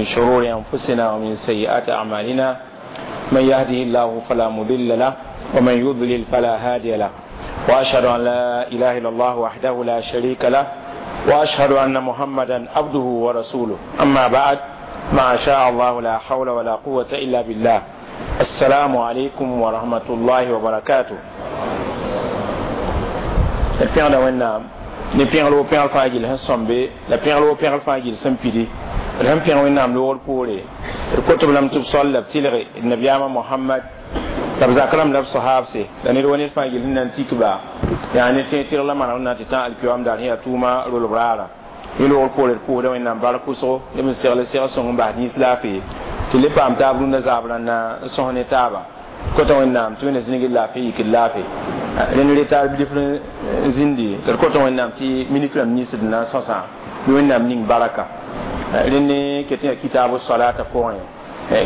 ومن شرور أنفسنا ومن سيئات أعمالنا، من يهده الله فلا مضل له ومن يضلل فلا هادي له، وأشهد أن لا إله إلا الله وحده لا شريك له، وأشهد أن محمدا عبده ورسوله. أما بعد، ما شاء الله لا حول ولا قوة إلا بالله. السلام عليكم ورحمة الله وبركاته. D pẽgda Wẽnnaam ne pẽgl wo pẽgl fãa gill sẽn sõmbe la pẽgl wo pẽgl fãa gill sẽn pidi. D sẽn pẽg Wẽnnaam loogr poore, d kot b lame tɩ b sol la b tɩlge d nabiyaamã Mohamad la b zak rãmb la b sahaabse la ned wa ned fãa gill sẽn na n tik ba yaa ne tẽeg tɩrg la maneg n na tɩ tã alkiyoam daar sẽn yaa tʋʋma rolb raara. Yẽ loogr poore, d pʋʋsda Wẽnnaam bark wʋsgo neb n segl segl sõng n bas nins laafee tɩ le paam taab rũndã zaab rãnda n sõs ne taaba. Kota Wẽnnaam tɩ Wẽnna zĩnigd laafɩ yikd laafɩ rẽnd reta bilf n zĩndi la d kota Wẽnnaam tɩ minik rãmb nins d na n sõsã bɩ Wẽnnaam ning baraka. Rẽnd ket yaa kitaabu salata pʋgẽ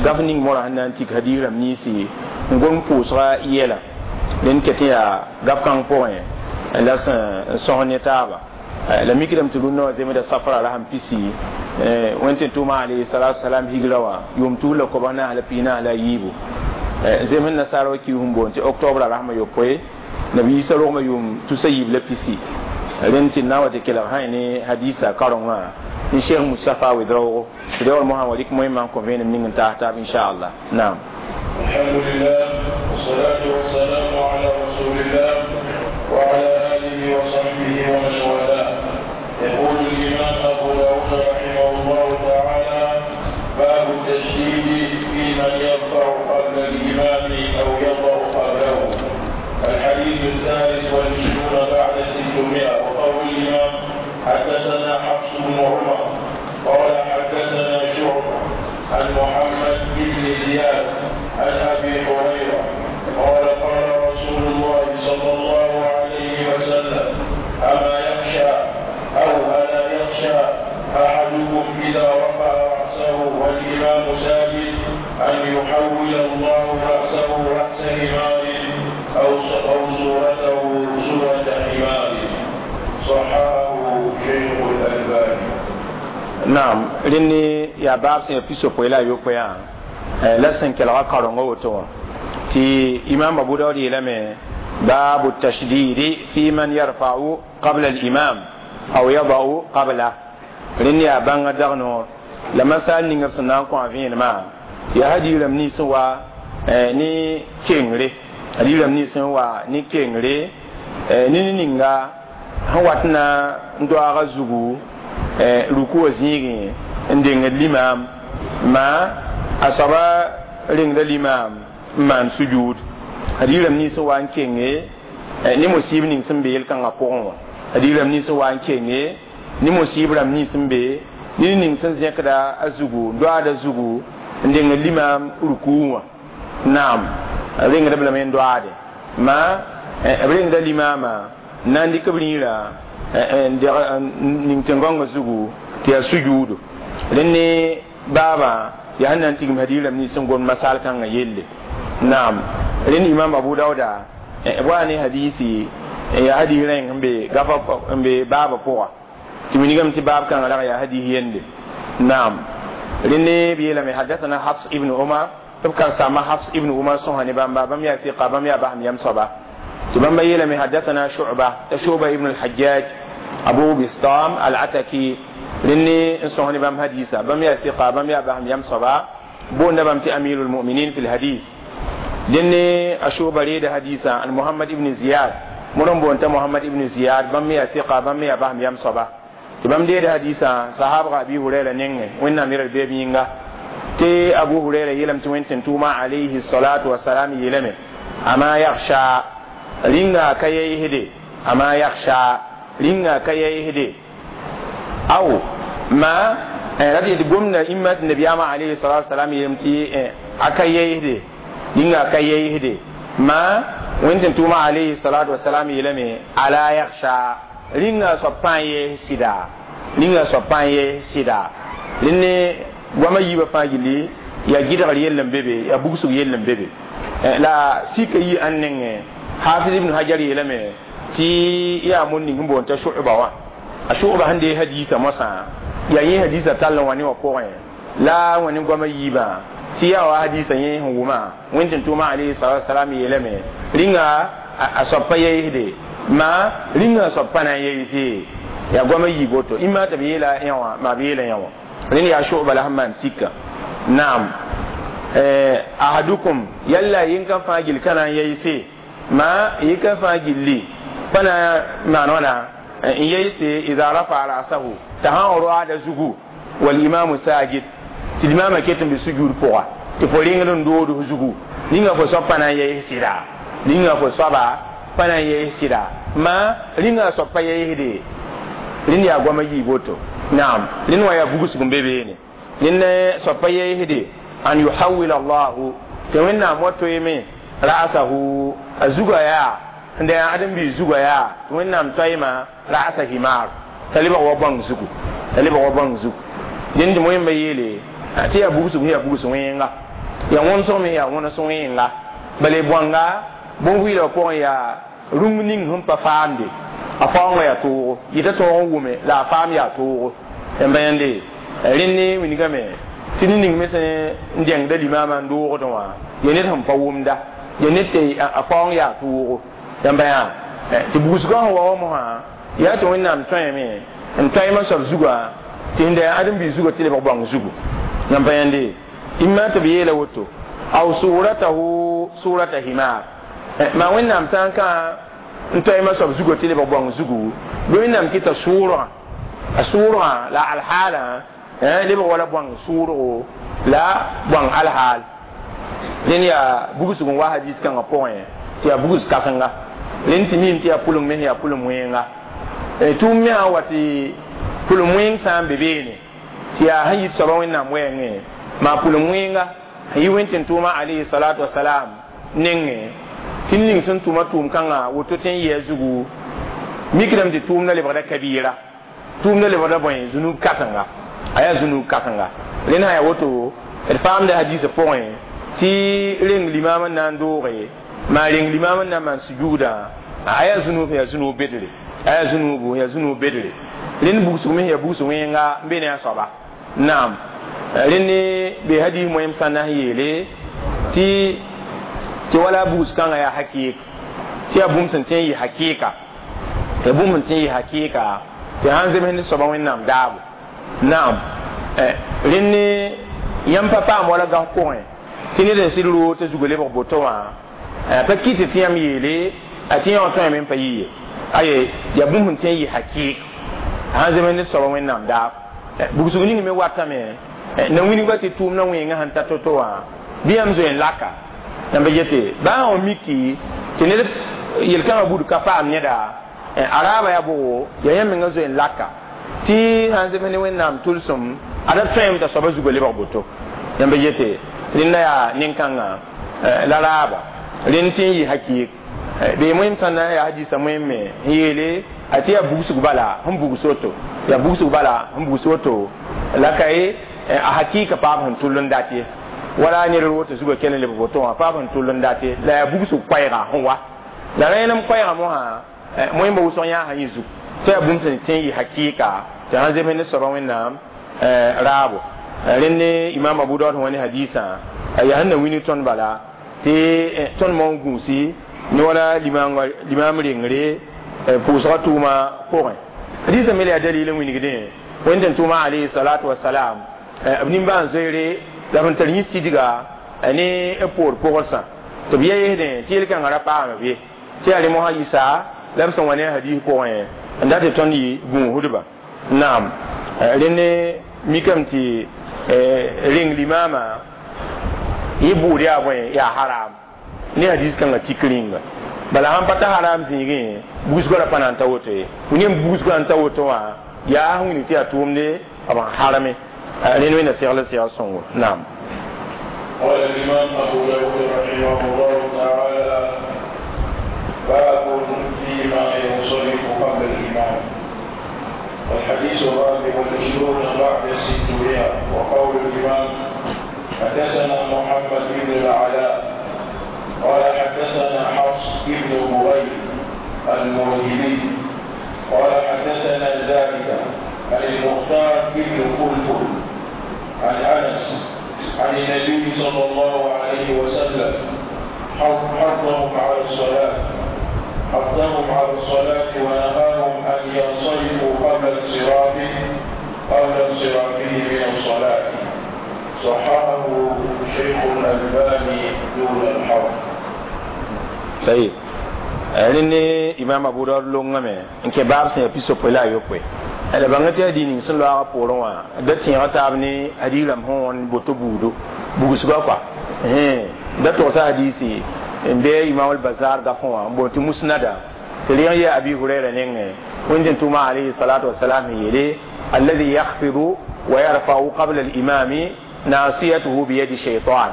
gaf ning morã sẽn na n tik hadiis rãmb ninsi n gom pʋʋsga yɛla. Rẽnd ket yaa gaf kãng pʋgẽ la sẽn sõs ne taaba la mikdame tɩ rũndã wã zemda safra rasem pisi wẽn tɩ tʋʋma alayhi salatu salam higra wã yʋʋm 2044. Zem sẽn nasaara wa kiis n boond tɩ octobre rasmã yopoe, nabi Isa rogmã yʋʋm 320. Rẽnd tɩ na n wa tɩ kelg sã ne hadisa karengã ne Cheikh Moustapha Ouedraogo tɩ reoor mosã wa rɩk moẽmã n kõ vẽenem ning n taas taab, inchallah. Naam. الحمد لله والصلاة والسلام على رسول الله وعلى آله وصحبه ومن والاه. يقول الإمام أبو داود رحمه الله تعالى: باب التشديد في من يرفع قبل الإمام أو يضع قبله. الحديث 623. وقول الإمام: حدثنا حفص بن عمر قال حدثنا شعبة عن محمد بن زياد عن أبي هريرة قال: قال رسول الله صلى الله عليه وسلم: أما يخشى أو ألا يخشى أحدكم إذا رفع رأسه والإمام ساجد أن يحول الله رأسه رأس حمار أو صورته صورة حمار؟ صححه شيخ الألباني. Naam, rẽnd yaa baab sẽn yaa 61 la sẽn kelga karenga woto wã tɩ imam Abu Daud yeelame: باب التشديد في من يرفع قبل الإمام أو يضع قبله. Rẽnd yaa bãnga dag noor la masal ning b sẽn na n kõ a vẽenemã yaa hadiirame nins n wa ne kengre, hadiirame nins n wa ne kengre ne ne ninga sẽn wat na n doaaga zugu ruku wã zĩigẽ n dengd limaam ma a soaba rengda limaam n maan sujud. Hadiirame nins n wa n kenge ne musib ning sẽn be yel-kãngã pʋgẽ wã, hadiirame nins n wa n kenge ne musib rãmb nins n be ne ning sẽn zẽkda a zugu n doaada zugu n dengd limaam ruku wã. Naam, rengd b lame n doaade ma b rengda limaamã n na n dɩk b rĩirã ning tẽn-gãongã zugu tɩ yaa sujuudo. Rẽnd ne baabã yaa sẽn na n tigim hadiirame nins n gom masal kãngã yelle. Naam, rẽnd imam Abu Dauda b wa ne hadisi yaa hadis rẽng n be gafa n be baabã pʋga tɩ wilgame tɩ baab kãngã rag yaa hadis yende. Naam, rẽnd ne b yeelame: حدثنا حفص ابن عمر. B karen-saambã Hafs ibn Umar sõsa ne bãmba, bãmb yaa fiqa, bãmb yaa basem yam soaba tɩ bãmba yeelame: حدثنا شعبة, شعبة ibn al-Hajjaj Abu Bistam al-Ataki. Rẽnd ne n sõs ne bãmb hadisa, bãmb yaa fiqa, bãmb yaa basem yam soaba, boonda bãmb tɩ أمير المؤمنين في الحديث. Dẽn ne a Shuba reeda hadisa an Muhammad ibn Ziyad, modr n boon t'a Muhammad ibn Ziyad, bãmb me yaa fiqa, bãmb me yaa basem yam soaba, tɩ bãmb deeda hadisa sahabga Abi Hurayra nengẽ, Wẽnnaam yɛl beeb yĩnga, tɩ Abu Hurayra yeelame tɩ Wẽn tɩ tʋʋma alayhi salatu wasalam yeelame: أما يخشى, rĩnga ka yaisde, أما يخشى, rĩnga ka yaisde aw ma rat yetɩ gomda imma tɩ nabiyaamã alayhi salatu wasalam yeelame tɩ a ka yaisde, rĩnga ka yaisde ma Wẽn tɩ tʋʋma alayhi salatu wasalam yeelame: ألا يخشى, rĩnga soab pãa yees sɩda, rĩnga soab pãa yees sɩda. Rẽnd ne goamã yiibã fãa gilli yaa gɩdgr yell n be be, yaa bugsg yell n be be la sika yi ãn nengẽ. Hafiz ibn Hajar yeelame tɩ yaa mon ning n boond t'a Shu'ba wã, a Shu'ba sẽn dee hadisa moasã yaa yẽ hadisa tall n wa ne wã pʋgẽ. La wẽnd goama yiibã tɩ yaa wa hadisa yẽ sẽn wʋma wẽnd tɩ tʋʋma alayhi salatu wasalam yeelame rĩnga a soab pa yeesde ma rĩnga a soab pa na n yeese yaa goama yiib woto ĩmma tɩ b yeela yã wã maa b yeela yã wã rẽnd yaa shu'ba la sẽn maan sika naam ahadukum yalla yẽn ka fãa gill ka na n yeese ma yẽ ka fãa gilli pa na maan wãna n yeese ida rafa rasahu t'a sã n roaada zugu wal imamu sajid tɩ limaamã ket n be sujud pʋga tɩ fo rengd n dood f zugu ninga fo soab pa na n yees sɩda ninga fo soaba pa na n yees sɩda ma rĩnga a soab pa yeesde rẽnd yaa goama yiib woto naam rẽnd wã yaa bugsg n be beene rẽnd soab pa yeesde an yuhawil allahu tɩ wẽnnaam wa toeeme ra'asahu a zuga yaa n da yaa ãdem-biis zuga yaa tɩ wẽnnaam toeema ra'asa himar t'a lebg wa bãng zugu t'a lebg wa bãng zugu dẽnd tɩ wẽmba yeele tɩ yaa bugsg yaa bugs wẽnga yaa wõnsg me yaa wõns wẽnga bala bõanga bõn-vɩɩlã pʋgẽ yaa rũng ning sẽn pa faamde a faoongã yaa toogo yɩta tõog n wʋme la a faam yaa toogo yãmba yãnde rẽnd ne wilgame tɩ ned ning me sẽn n dẽngda limaamã n doogdẽ wã ya ned sẽn pa wʋmda ya ned tɩ a faoong yaa toogo yãmba yã tɩ bugsgã sẽn wa wa mosã yaa tɩ wẽnnaam tõeme n toeemã soab zugã tɩ sẽn da yaa ãdem-biis zugã tɩ lebg bãng zugu yãmba yãnde imma tɩ b yeela woto aw suratahu surata himar maa wẽnnaam sã n kã n toeemã soab zugã tɩ lebg bãng zugu bɩ wẽnnaam kɩta sʋʋrgã a sʋʋrgã la alhaalã lebg wala bãng sʋʋrgo la bãng alhaal rẽnd yaa bugsg n wa hadis kãngã pʋgẽ tɩ yaa bugs kãsenga rẽnd tɩ miime tɩ yaa pʋleng me yaa pʋlem wẽenga tʋʋm me sã wa tɩ pʋlem wẽeng sã n be beene tɩ yaa sẽn yit soaba wẽnnaam wɛɛngẽ maa pʋlem wẽenga sẽn yi wẽn tɩ n tʋʋma alayhi salatu wasalam nengẽ tɩ ning sẽn tʋma tʋʋm kãngã woto tɩ n yɩ a zugu mikdame tɩ tʋʋmda lebgda kabiira tʋʋmda lebgda bõe zunub kãsenga a yaa zunub kãsenga rẽnd sã yaa woto d faamda hadiisã pʋgẽ tɩ reng limaam n na n dooge maa reng limaam n na n maan sujuudã a yaa zunub yaa zunub bedre a yaa zunubu yaa zunub bedre rẽnd bugsg me yaa bugs wẽnga n be ne a soaba naam rẽnd ne be hadis moẽm sã na n yeele tɩ wala bugs kãngã yaa hakɩɩk tɩ yaa bũmb sẽn tõe n yɩ hakɩɩka yaa bũmb sẽn tõe n yɩ hakɩɩka tɩ sãn zems ne soaba wẽnnaam daabo naam rẽnd ne yãmb pa paam wala gãs pʋgẽ tɩ ned n sɩd roog t'a zugã lebg boto wã pa kɩt tɩ yãmb yeele a tɩ yã wã tõeme n pa yɩ ye aye yaa bũmb sẽn tõe n yɩ hakɩɩk sãn zems ne soaba wẽnnaam daab bugsg ning me watame na wilgba tɩ tʋʋmdã wẽengã sẽn ta to-to wã bɩ yãmb zoe n laka yãmb yete baa wã miki tɩ ned yel-kãngã bud ka paam neda a raaba yaa bʋgo yaa yãmb mengã zoe n laka tɩ sãn zems ne wẽnnaam tʋlsem ada tõeme t'a soaba zugã lebg boto yãmb yete rẽnda yaa nin-kãngã la raaba rẽnd tɩ n yɩ hakɩɩk bee moẽm sã na yaa hadisa moẽm me n yeele a tɩ yaa bugsg bala sẽn bugs woto yaa bugsg bala sẽn bugs woto la ka ye a hakɩɩka paab sẽn tʋll n dat ye wala ned woto zugã kell n lebg woto wã paab sẽn tʋll n dat ye la yaa bugsg koɛɛga sẽn wa la rẽenem koɛɛga mosã moẽmba wʋsg yãasa yẽ zug tɩ yaa bũmb sẽn tẽ n yɩ hakɩɩka tɩ sãn zems ne soaba wẽnnaam raabo rẽnd ne imam abu daud sẽn wa ne hadisã yaa sẽn na wini tõnd bala tɩ tõnd maoon gũusi ne wala limaam rengre pʋʋsga tʋʋma pʋgẽ hadisã me la yaa dalil n wilgdẽ wẽnd tɩ tʋʋma alayhi salatu wasalam b nimbãan zoeere la b sẽn tar yẽ sidga ne b poor pʋgsã tɩ b yeesdẽ tɩ yel-kãngã ra paam b ye tɩ yaa rẽ mosã yɩsa la b sẽn wa ne a hadis pʋgẽ n dat tɩ tõnd yɩ gũusdba naam rẽnd mikame tɩ reng limaamã yẽ bʋʋd yaa bõe yaa haram ne hadis kãngã tik rĩnga bala sãn pa ta haram zĩigẽ bugsgã ra pa na n ta woto ye ne bugsgã n ta woto wã yaa sẽn wilg tɩ yaa tʋʋmde b n harame rẽnd wẽnna segl segl sõngo naam قال الإمام أبو داود رحمه الله تعالى باب فيما ينصرف قبل الإمام الحديث الرابع والعشرون بعد 600 وقول الإمام حدثنا محمد بن العلاء قال حدثنا حفص بن بغير المرهبي قال حدثنا زائدة عن المختار بن فلفل عن أنس عن النبي صلى الله عليه وسلم حضهم على الصلاة، حضهم على الصلاة ونهاهم أن ينصرفوا قبل انصرافه من الصلاة. صححه شيخ الألباني دون الحرف. طيب rẽnd Imam Abu Dawud longame n kẽ baab sẽn yaa pisopoe la a yopoe la bãnga tɩ yaa ning sẽn loaagã poorẽ wã da tẽega taab ne hadiis rãmb sẽn wõn boto buudo bugsgã kɔa da togsa hadiisi n be Imam al-Bazar gafẽ wã n boond tɩ musnada tɩ rẽg yaa Abi Hurayra nengẽ wẽnd tɩ tʋma alayhi salatu wasalam yeele alladhi yakhfidu wa yarfa'u qabla al-imami nasiyatuhu biyadi shaytan,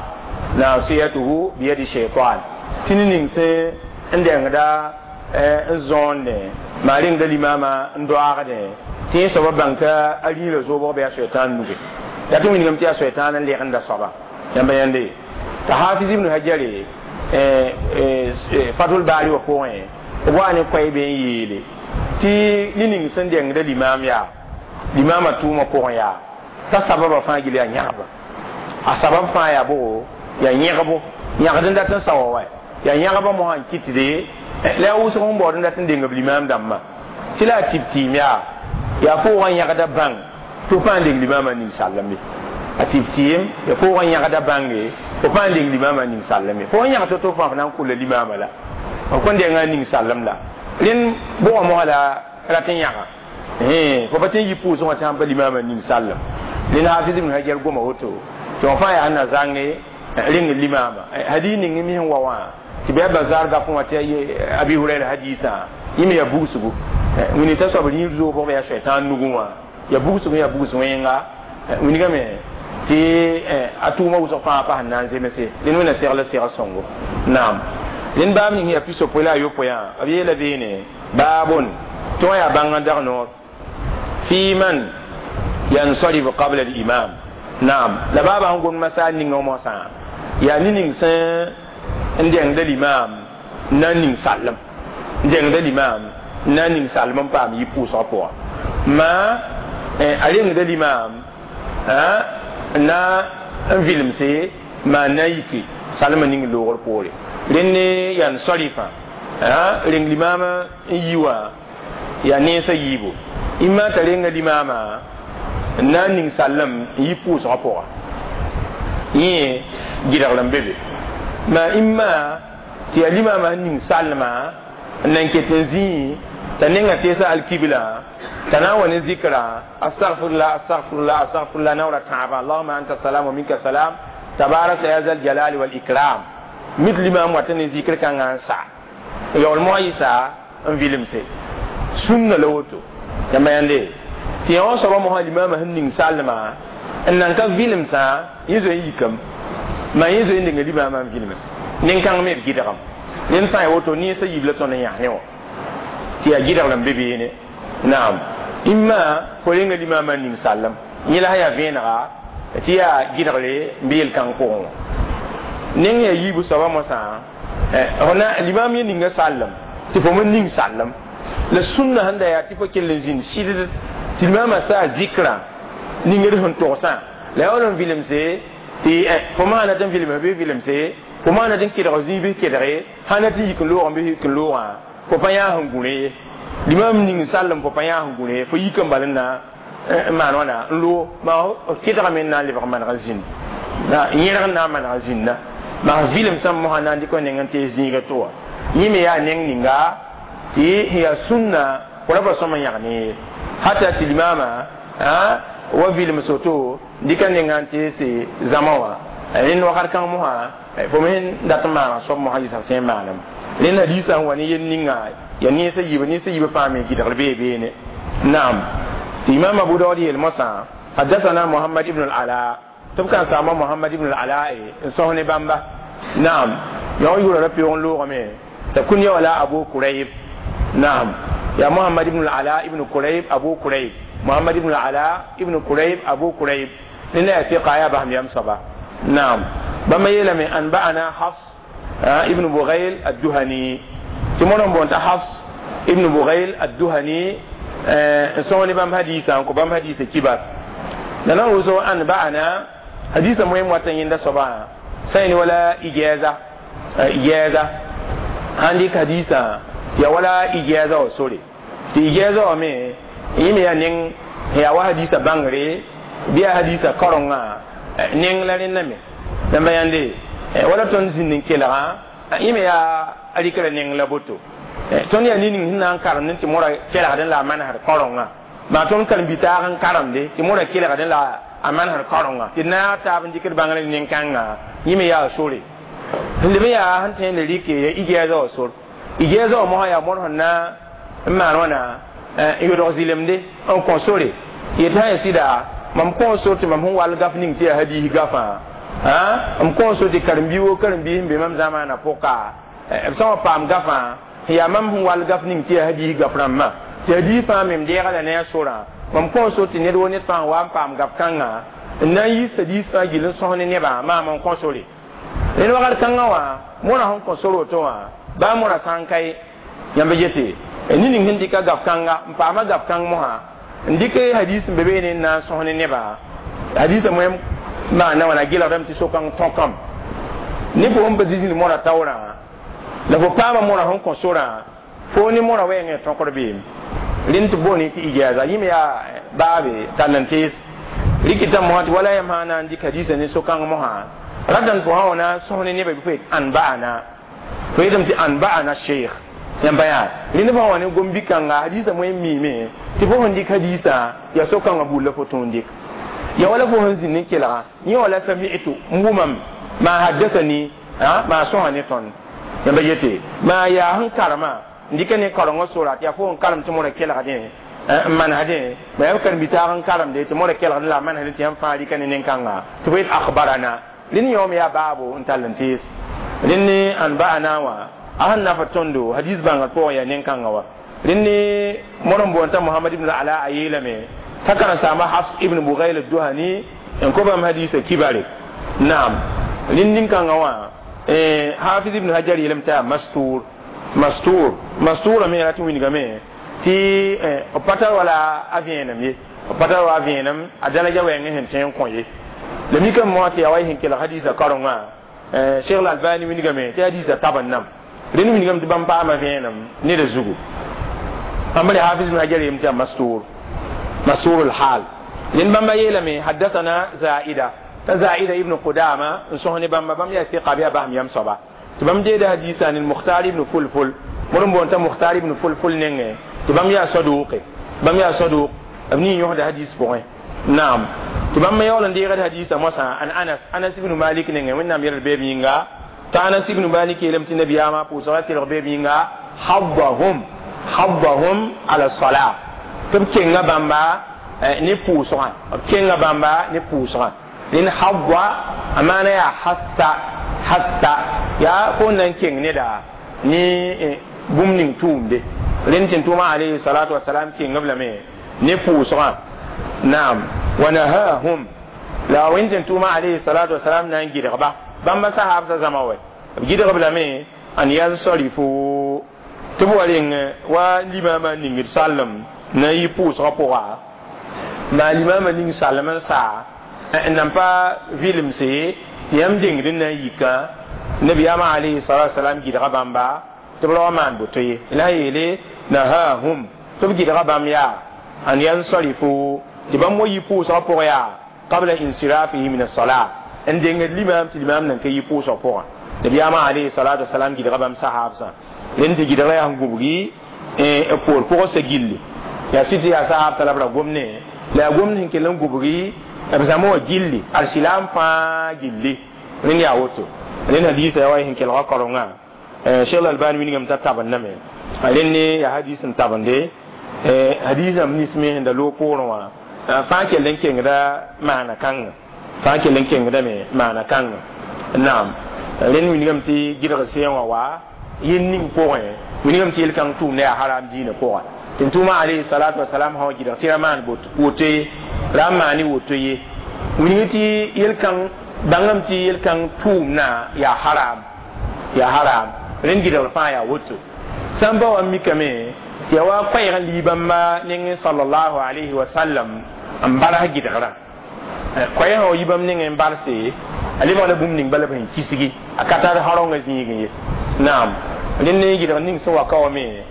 nasiyatuhu biyadi shaytan, tɩ ne ning sẽn n dẽngda n zõonde maa rẽngda limama n doaagdẽ tɩ yẽ soaba bãng t'a a rĩirã zoobg bɩ a soɛtãan nuge yaa tɩ wilgame tɩ yaa soɛtãan n lɛgenda soaba yãmba yãnde t'a Hafiz ibn Hajare Fatul Baari wã pʋgẽ b wa ne koɛɛ be n yeele tɩ ne ning sẽn dẽngda limam yaa limamã tʋʋmã pʋgẽ yaa t'a sababã fãa gil yaa yãgba a sabab fãa yaa bogo yaa yẽgbo yãgd n dat n sa wa wa yaa yãgba mosã n kɩtde la yaa wʋsg n baood n dat n deng b limam dãmbã tɩ la a tɩb tɩɩm yaa yaa foogã yãgda bãng tɩ f pãa n deng limamã ning sallame a tɩb tɩɩm yaa foogã yãgda bãnge fo pãa n deng limamã ning sallame fo n yãg to-to fãa f na n kulla limamã la f kõn denga ning sallem la rẽnd bʋgã mosã la rat n yãga fo pa tɩ n yi pʋʋsẽ wã tɩ sãn pa limamã ning sallem rẽnd Hafiz ibn Hajar goma woto tɩ wã fãa yaa na zãnge rẽng limama hadis ning mi sẽn wa wã tɩ bɩ a Bazar gafẽ wã tɩ Abi Hurayra hadisã yẽ me yaa bugsgo wĩni t'a soab rĩir zoobg yaa soɛtãan nugẽ wã yaa bugsg yaa bugs wẽnga wingame tɩ a tʋʋmã wʋsg fãa pa sẽn na n zemse rẽnd wẽna segl segl sõngo naam rẽnd baab ning yaa pisopoe la a yopoe yã b yeela beene baabon tɩ wã yaa bãng n dag noor fi man yansarif qabla al-imam naam la baaba sẽn gom masaal ninga mosã yaa ne ning sẽn n dẽngda limam na n ning sallem n dẽngda limam na n ning sallem n paam yɩ pʋʋsgã pʋgã ma a rengda limam na n vilemse maa na yike salmã ning loogr poore rẽnd ne yansarifã reng limam n yi wã yaa nensã yiibu imma t'a renga limamã n na n ning sallem n yi pʋʋsgã pʋga yẽ gɩdgr n be be ma imma tɩ yaa limamã sẽn ning sallmã n nan ket n zĩi t'a nenga teesa alkibla t'a na n wa ne zikra astagfirullah astagfirullah astagfirullah naoora tãabã allahuma anta salam wa minka salam tabarakta ya zal jalali wal ikram mit limam wata ne zikr kãngã n sa yaool moa yɩsa n vilemse sũnna la woto yãmba yãnde tɩ yã wã soabã mosã limamã sẽn ning sallmã n nan ka vilemsã yẽ zoe n yikame maa yẽ zoe n denga limamã n vilms nin-kãng me b gɩdgem rẽnd sã n ya woto nensã yiib la tõnd n yãs ne wã tɩ yaa gɩdgr n be beene naam imma fo renga limamã n ning sallem yẽ la sã yaa vẽenega tɩ yaa gɩdgre n be yel-kãng pʋgẽ wã neng yaa yiibu soabã mosã limam yẽ ninga sallem tɩ fo me ning sallem la sũnna sẽn da yaa tɩ fo kell n zĩnd sɩd tɩ limamã saa zikrã ningd sẽn togsã la yaool n vilemse tɩ fo maana tɩ n vilem bɩ vilemse fo maana tɩ n kedg zĩig bɩ kedge sã na tɩ yik n loogã bɩ yik n loogã fo pa yãas n gũ ye limam ning sallem fo pa yãas n gũ ye fo yik n bal n na n maan wãna n loog maa kedgame n na n lebg maneg n zĩnd yẽrg n na n maneg n zĩnda maa vilemsã mosã na n dɩk neng n tees zĩiga tɩ wa yẽ me yaa neng ninga tɩ yaa sũnna fo ra pa sõm n yãg ne ye hata tɩ limamã wa vilem soto dɩka nenga n teese zãma wã rẽnd wakat kãng mosã fo me sẽn dat n maana soab mosã yɩsa sẽn maanem rẽnd hadiisã n wa ne yel ninga yaa nensã yiibã fãa me gɩdgr bee beene naam tɩ Imam Abu Daud yeel mosã حدثنا محمد ibn al-Ala tɩ b kan saama Muhammad ibn al-Ala n sõs ne bãmba naam yã yʋra ra peoog n loogame t'a kunya wala Abu Kurayb naam ya Muhammad ibn al-Ala ibn Kurayb Abu Kurayb Muhammad ibn al-Ala ibn Kurayb Abu Kurayb nena ya fiqa ya baham yam saba naam bãmba yeelame anba'ana Hafs ibn Bughayl ad-Duhani tɩ mono n boonta Hafs ibn Bughayl ad-Duhani n sõs ne bãmb hadiisã n kõ bãmb hadiisã kibar La na woso an ba'ana hadisa moyem wata yẽnda soaba sã n wala ijaza ijaza sãn dɩk hadisa tɩ ya wala ijaza wã sore tɩ ijaza wã me yẽ me yaa neng yaa wa hadisa bãngre bɩ yaa hadisa kaorengã neng la rẽnda me yãmba yãnde wala tõnd zĩnd n kelgã yẽ me yaa a rɩkra neng la boto tõnd yaa ning sẽn na n karemd tɩ mora kelgdẽ la a manesd kaorengã maa tõnd karen-bi-taag n karemde tɩ mora kelgdẽ la a manesd kaorengã tɩ naag taab n dɩkd bãngr nin-kãngã yẽ me yaa sore sẽn leb n yaa sẽn tõe n le rɩke ya ijaza wã sor ijaza wã mosã yaa mõr sẽn na n maan wãna n yodg zɩlemde n kõ sore yetɩ sã ya sɩda mam kõ sor tɩ mam sẽn wall gaf ning tɩ yaa hadiis gafã m kõ sor tɩ karen-bi woo karen-biis n be mam zamaana pʋka b sã wa paam gafã yaa mam sẽn wall gaf ning tɩ yaa hadiis gaf rãmbã tɩ hadiis fãa me m deega la ne a sorã mam kõ sor tɩ ned woo ned fãa n wa n paam gaf kãngã n na n yiis hadiis fãa gill n sõs ne nebã maam n kõ sore ned wakat kãngã wã mõra sẽn kõ sor woto wã baa mõra sã n ka ye yãmb yete ning sẽn dɩka gaf kãnga n paama gaf kãng mosã n dɩk hadiis n be beene n na n sõs ne nebã hadiisã moem maana wãna gelgdame tɩ so-kãng tõkame ne fo sẽn pa zĩ mõra taoorã la fo paama mõra sẽn kõ sorã fo ne mõra wɛɛngẽ tõkd beem rẽnd tɩ boone tɩ ijaza yẽ me yaa baabe tall n tees rɩkɩta mosã tɩ wala yãmb sã na n dɩk hadiisã ne so-kãng mosã ratame fo sã wa na n sõs ne nebã bɩ fo yet an ba'ana fo yetame tɩ an ba'ana sheikh yãmba yaa rẽnd fo sã wa ne gom-bi-kãnga hadiisã moe n miime tɩ fo sẽn dɩk hadiisã yaa so-kãngã buud la fo tõe n dɩk ya wala fo sẽn zĩnd n kelga yẽ wala sami'tu n wʋmam maa haddasani maa sõsa ne tõnd yãmba yete maa yaa sẽn karema n dɩka ne kaorengã sora tɩ yaa fo n karem tɩ mõra kelgdẽ n manesdẽ ma yaa b karen-bi-taag n karemde tɩ mõra kelgdẽ la a manesdẽ tɩ yãmb fãa rɩka ne nin-kãnga tɩ fo yet akhbarana rẽnd yõom yaa baabo n tall n tees rẽnd ne an ba'ana wã a sẽn nafa tõndo hadis bãngr pʋgẽ yaa nin-kãngã wa rẽnd ne mõr n boond t'a mohamad ibn ala a yeelame t'a karen-saamba hafs ibn bugayl duhani n kõ bãmb hadisa kibare naam rẽnd nin-kãngã wã hafiz ibn hajar yeelame t'a yaa mastur mastur mastura me rat n wilgame tɩ b pa tar wala a vẽenem ye b pa tar wa a vẽenem a daraja wɛɛngẽ sẽn tõe n kõ ye la mikame mosã tɩ yaa wa y sẽn kelg hadiisã kaorengã cheikh lalbani wilgame tɩ hadiisã tab n nam rẽnd wilgame tɩ bãmb paama vẽenem neda zugu bãmb re hafiz ibn hajar yeelame tɩ yaa mastur mastur lhal rẽnd bãmba yeelame haddathana zaida t'a zaida ibn qudama n sõs ne bãmba bãmb yaa tɩqa bɩ yaa basem yam soaba tɩ bãmb deeda hadiisã ne mukhtar ibn fulful mõr n boond t'a mukhtar ibn fulful nengẽ tɩ bãmb yaa saduqe bãmb yaa saduq b ning yõsda hadiis pʋgẽ naam tɩ bãmb me yaool n deegd hadiisã moasã an anas anas ibn malik nengẽ wẽnnaam yɛlg beeb yĩnga t'a anas ibn malik yeelame tɩ nabiyaamã pʋʋsga kelg beeb yĩnga haddahum haddahum ala sala tɩ b kenga bãmba ne pʋʋsgã b kenga bãmba ne pʋʋsgã rẽnd hadda a maana yaa hassa hassa yaa fo n na n keng neda ne bũmb ning tʋʋmde rẽnd tɩ n tʋʋma alayhi salatu wasalam keng b lame ne pʋʋsgã naam wa nahahum la wẽnd tɩ n tʋʋma alayhi salatu wasalam na n gɩdgba bãmba sahaabsã zãma wɛ b gɩdgb lame an yansarifu tɩ b wa reng wa limaamã ningd sallem na n yi pʋʋsgã pʋga maa limaamã ning sallem n saa n nan pa vɩlemse tɩ yãmb dengd n na n yika nabiyaamã alayhi salatu wasalam gɩdga bãmba tɩ b ra wa maan boto ye la yeele nahahum tɩ b gɩdga bãmb yaa an yansarifu tɩ bãmb wa yi pʋʋsgã pʋgã yaa qabla insirafihi min as-salat n dengd limaam tɩ limaam nan ka yi pʋʋsgã pʋgã nabiyaamã alayhi salatu wasalam gɩdga bãmb sahaabsã rẽnd tɩ gɩdga yaa sẽn gubgi poor pʋgã sa gilli yaa sɩd tɩ yaa sahaabsã la b ra gomne la yaa gomd sẽn kell n gubgi b zãma wã gilli arsilaam fãa gilli rẽnd yaa woto rẽnd hadiisã yaa wa y sẽn kelga kaorengã cheikh albani wilgame t'a tabendame rẽnd ne yaa hadiis n tabende hadiisã m nins me sẽn da loog poorẽ wã fãa kell n kengda maana kãnga fãa kell n kengdame maana kãnga naam rẽnd wilgame tɩ gɩdg sẽen wã wa yel ning pʋgẽ wilgame tɩ yel-kãng tʋʋmda yaa haram diinã pʋga tɩ n tʋʋma alayhi salatu wasalam sã wa gɩdg tɩ ra maan woto ye ra n maane woto ye wilg tɩ yel-kãng bãngame tɩ yel-kãng tʋʋmdã yaa haram yaa haram rẽnd gɩdgr fãa yaa woto sã n ba wa n mikame tɩ yaa wa koɛɛg n lii bãmba nengẽ sallallahu alayhi wa sallam n baras gɩdgrã Koɛɛsã wa yi bãmb nengẽ n balse a lebg la bũmb ning bala b sẽn kisgi a ka tar harongã zĩigẽ ye. Naam, rẽnd ne gɩdg ning sẽn wa ka wa me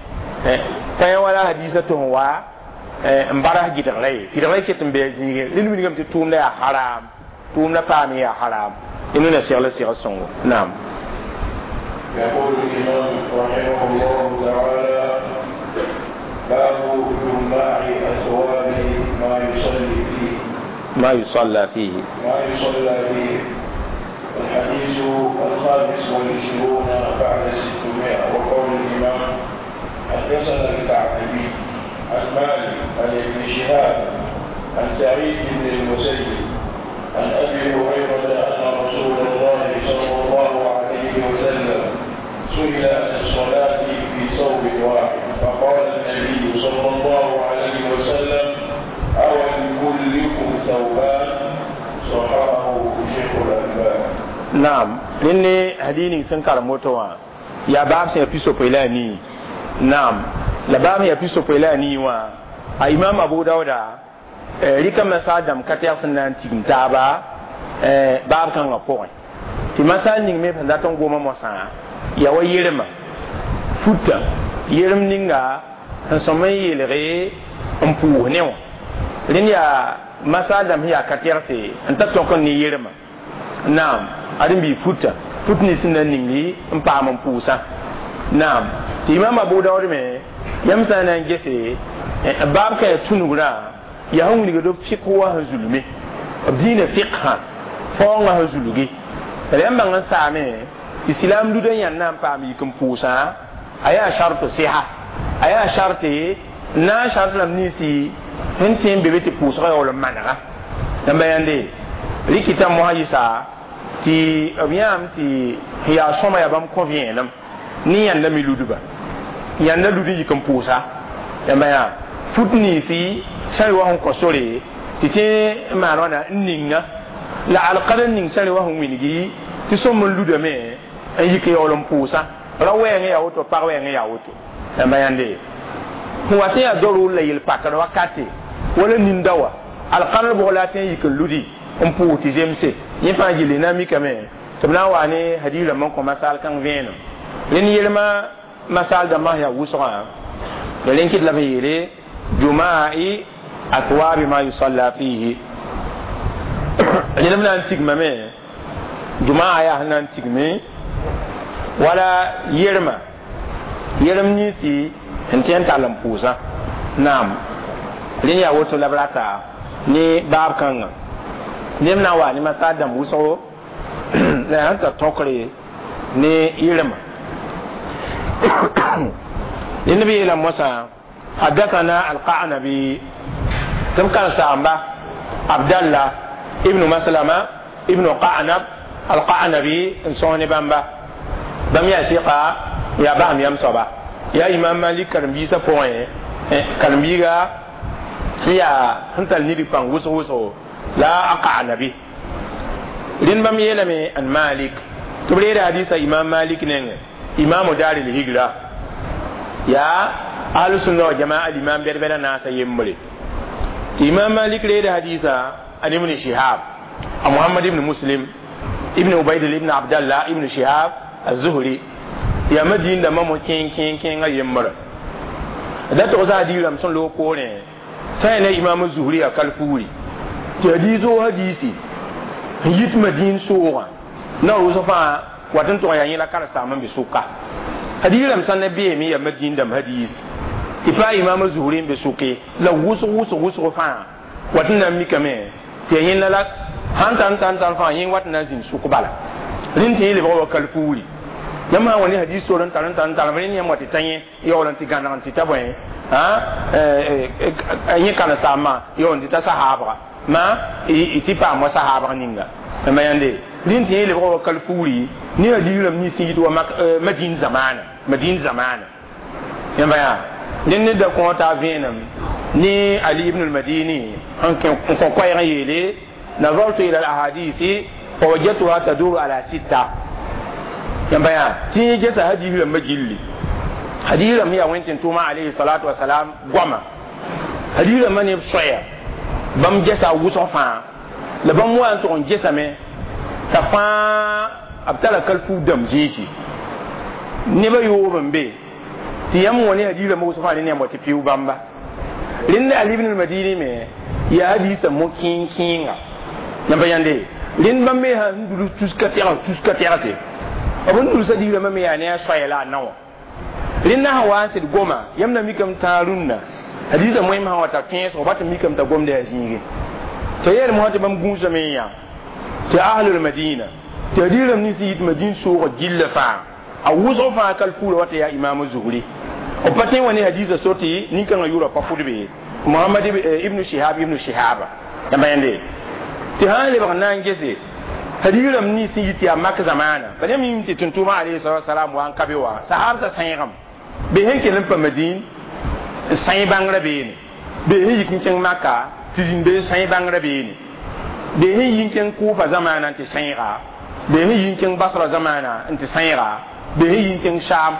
tã wala hadisa tɩ sẽn wa n baras gɩdgra ye, gɩdgra ket n bɩ a zĩigẽ. Rẽnd wilgame tɩ tʋʋmda yaa haram, tʋʋmda paam yaa haram. Rẽnd na segl segl sõngo. Naam. يقول الإمام رحمه الله تعالى: باب جماع أثواب ما يصلي فيه. ما يصلى فيه. ما يصلى فيه. الحديث 25 بعد 600. وقول الإمام: حدثنا الكعبي عن مالك عن ابن شهاب عن سعيد بن المسيب عن أبي هريرة أن رسول الله صلى الله عليه وسلم سئل عن الصلاة في ثوب واحد، فقال النبي صلى الله عليه وسلم: أو لكلكم ثوبان؟ صححه شيخ الألباني. Naam, rẽnd ne hadii sẽn karem woto wã yaa baab sẽn yaa 64. Naam, la baab sẽn yaa 64 wã, a imam Abu Dauda rɩka masaal dãmb ka tɛg sẽn na n tigim taaba baab kãngã pʋgẽ, tɩ masaal ning me sẽn dat n goma mosã yaa wa yeremã futa yerem ninga sẽn sõm n yeelge n pʋʋs ne wã. Rẽnd yaa masaal dãmb sẽn yaa ka tɛgse n ta tõk n ne yeremã. Naam, ad n bɩ futa fut nins sẽn na n ningi n paam n pʋʋsã. Naam, tɩ imam Abu Daood me yãmb sã n na n gese baab ka yaa tũnugrã, yaa sẽn wilgd b fɩk wa sẽn zulme b dĩinã fɩksã faoongã sẽn zulgi la yãmb bãng n saame tɩ silaam ludã yãnd na n paam yik n pʋʋsã. A yaa sharto sɩsa, a yaa sharte n na n shart rãmb ninsi sẽn tẽ n be be tɩ pʋʋsgã yaool n manega. Yãmba yãnde rɩkɩta mosã yɩsa tɩ b yãam tɩ sẽn yaa sõma yaa bãmb kõ vẽenem ne yãnda me ludba yãnda lud n yik n pʋʋsa. Yãmba yaa fut ninsi sã n wa sẽn kõ sore tɩ tẽ n maan wãna n ninga la alkad n ning sã n wa sẽn wilgi tɩ sõm n ludame n yik yaool n pʋʋsa. Ra wɛɛngẽ yaa woto, pag wɛɛngẽ yaa woto. Yãmba yãnde sẽn wa tẽ yaa dorʋʋr la yel-pakd wakate wala ninda wa alkãnr bʋg la a tẽ n yik n ludi n pʋʋs tɩ zemse yẽ fãa gilli na n mikame tɩ b na n wa ne hadiis rãmb n kõ masaal kãng vẽenem. Rẽnd yelmã masaal dãmbã sẽn yaa wʋsgã la rẽn kɩt la b yeele jumai athwabi ma yusalla fihi. Rẽnd b na n tigmame jumaa yaa sẽn na n tigme wala yerma yerem ninsi sẽn tẽ n tall n pʋʋsã. Naam, rẽnd yaa woto la b rata ne baab kãngã neb na n wa ne masaal dãmb wʋsgo la yaa sẽn tar tõkre ne yerma. Rẽnd b yeela mosã: حدثنا القعنبي تم كان سامبا عبد الله ابن مسلمة ابن قعنب القعنبي انسوني بامبا بام يا ثقة يا بام يام صبا يا إمام مالك كرمبيسا بوين كرمبيغا يا هنتال نيري بان وسو وسو لا أقعنبي لين بام يلمي أن مالك تبرير حديث إمام مالك نين إمام دار الهجرة يا أهل السنة والجماعة الإمام بيربنا ناس يمبري. إمام مالك ريد حديثا عن ابن شهاب محمد بن مسلم ابن عبيد ابن عبد الله ابن شهاب الزهري يا مدين دما مو كين كين كين يمبر da to za di ram son lo ko ne sai ne imam zuhri a kalfuri ti hadiso hadisi yit madin soga na rusa fa watan to ya yila kar saman bi suka hadisi ram san nabi mi ya madin dam hadisi tɩ pa imaam zuhri n be sʋke la wʋsg wʋsg wʋsg fãa wat n na n mikame tɩ ya yẽnda la sãn tar n tar n tar fãa yẽ wat n na n zĩnd sʋk bala rẽnd tɩ yẽ lebg wa kalfuuri. Yãmb sã n wa ne hadiis sor n tar n tar n tar rẽnd yãmb wa tɩ ta yẽ yaool n tɩ gãneg n tɩ ta bõe yẽ karen-saambã yaool n tɩ ta sahaabga ma tɩ paam wa sahaabg ninga. Ma yãnde rẽnd tɩ yẽ lebg wa kalfuuri ne hadiis rãmb nins sẽn yit wa madin zamaana madin zamaana. Yãmba yaa rẽnd ne da kõo t'a vẽenem ne Ali ibn al-Madini n kõ koɛɛg n yeele: nazartu ila al-ahadisi fawajadtuha taduru ala sitta. Yãmba yaa tɩ yẽ gesa hadiis rãmbã gilli hadiis rãmb yaa wẽn tɩ tʋʋma alayhi salatu wasalam goama hadiis rãmbã neb soɛya bãmb gesa wʋsg fãa La bãmb wa n tʋg n gesame t'a fãa b tara kalfu dãmb zĩisi nebã yoob n be tɩ yãmb wã ne hadiisã wʋsg fãa rẽnd yãmb wa tɩ pɩʋ bãmba rẽnd Ali ibn al-Madini me yaa hadiisã mo-kẽeng-kẽenga yãmb pa yãnde rẽnd bãmb me sã n dulus tuska tɛgs tuska tɛgse b n dulsa digrãmbã me yaa ne a soaya la a nao rẽnd na sã wa n sɩd goma yãmb na mikame tãag rũnnã hadiisã moẽm sã wa ta kẽesg ba tɩ mikame t'a gomda yaa zĩige t'a yeel mosã tɩ bãmb gũusame n yã tɩ ahlul madina tɩ hadiisrãmb nins yit madin soogã gilla fãa a wʋsg fãa kalfuura wa tɩ yaa imaam zuhri b pa tõe n wa ne hadiisã so tɩ nin-kãngã yʋʋra pa fʋdbe Muhammad ibn Shihab ibn Shihaba yãmba yãnde tɩ sã n lebg n na n gese hadiisrãmb nins n yit yaa mak zamaana bal yãmb yĩm tɩ tʋm-tʋʋmã alayhi salatu wasalam wa n ka be wã sahabsã sãeegame be sẽn kell n pa madin n sãe bãngrã beene be sẽn yik n kẽng maka tɩ zĩnd be n sãe bãngrã beene be sẽn yi n kẽng Kufa zamaana n tɩ sãeega be sẽn yi n kẽng Basra zamaana n tɩ sãeega be sẽn yi n kẽng Sham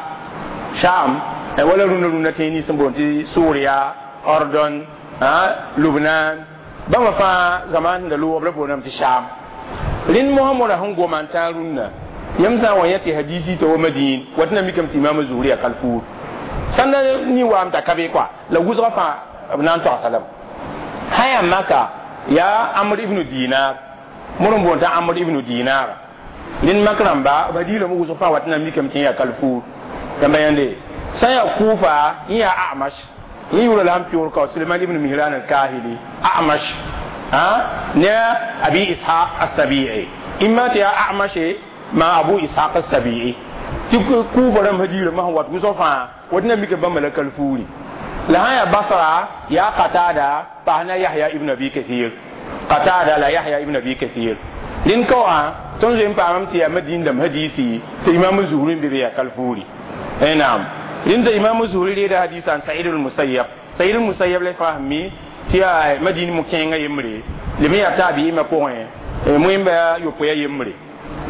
Sham wala rũndã rũndã tẽeg nins n boond tɩ Suuriya Ordon Lubnan bãmba fãa zamaan sẽn da loog b la boondame tɩ Sham rẽnd mosã modã sẽn goma n tãag rũndã yãmb sã n wa yã tɩ hadiisi t'a wa Madin wa tɩ na mikame tɩ imaam Zuhri yaa kalfuur sãn da ni waam t'a ka be kɔa la wʋsgã fãa b na n togsa lame sã yaa maka yaa Amr ibn Dinar mod n boond t'a Amr ibn Dinar rẽnd mak rãmba b hadiisrãmb wʋsg fãa wa tɩ na mikame tɩ yaa kalfuur yãmba yãnde sã n yaa Kufa yẽ yaa Amash yẽ yʋʋra la sẽn pɩʋʋr ka Suleiman ibn Mihran al-Kahili Amash ne Abi Ishaq as-Sabi'i imma tɩ yaa Amash ma Abu Ishaq as-Sabi'i tɩ Kufa rãmb hadiisrãmbã sẽn wat wʋsg fãa wa tɩ na mika bãmba la kalfuuri la sã yaa Basra yaa Qatada paas na Yahya ibn Abi Kathir Qatada la Yahya ibn Abi Kathir rẽnd ka wã tõnd zoe n paamame tɩ yaa Madin dãmb hadiisi tɩ imaam Zuhri n be be yaa kalfuuri naam rẽnd t'a imaam Zuhri reeda hadiisã n Sa'id al-Musayyab Sa'id al-Musayyab la fãa sẽn mi tɩ yaa Madin mo-kẽengã yembre lem n yaa taabiima pʋgẽ moẽmba yopoe yembre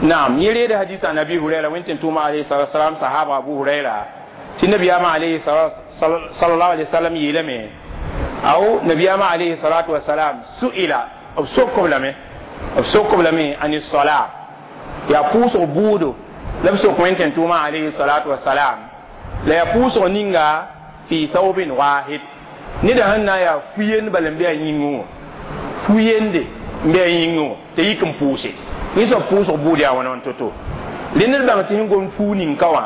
naam yẽ reeda hadiisã n Abi Hurayra wẽn-tẽn-tʋʋma alayhi salatu wasalam sahaba Abu Hurayra tɩ nabiyaamã alayhi sallallahu alayhi wasallam yeelame aw nabiyaamã alayhi salatu wasalam su'ila b sokb lame b sokb lame an sola yaa pʋʋsg buudo la b sok wẽn-tẽn-tʋʋmã alayhi salatu wasalam la yaa pʋʋsg ninga fi thawbin wahid neda sẽn na n yaa fu-yend bala n be a yĩngẽ wã fu-yende n be a yĩngẽ wã t'a yik n pʋʋse yẽ soab pʋʋsg buud yaa wãna wãn to-to rẽnd d bãng tɩ sẽn gom fuu nin-ka wã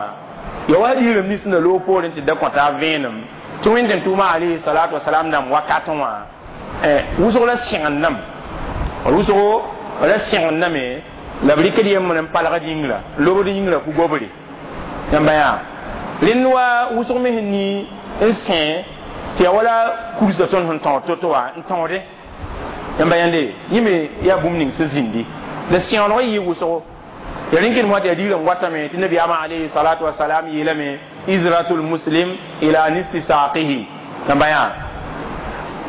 ya wa hadiisrãmb nins sẽn da loog poorẽ tɩ da kõta vẽenem tɩ wẽn-tẽn-tʋʋmã alayhi salatu wasalam dãmb wakatẽ wã wʋsg la sẽgendame wʋsgo la sẽgendame la b rɩkd yembr n palgd yĩngrã lobd yĩngrã ku-gobre yãmba yaa rẽnd wa wʋsg me sẽn ni n sẽ tɩ yaa wala kursa tõnd sẽn tõog to-to wã n tõode yãmba yãnde yẽ me yaa bũmb ning sẽn zĩndi la sẽoolg n yɩ wʋsgo ya rẽn kell tɩ hadiisrãmb watame tɩ nabiyaamã alayhi salatu wasalam yeelame izratul muslim ila nisfi saqihi yãmba yaa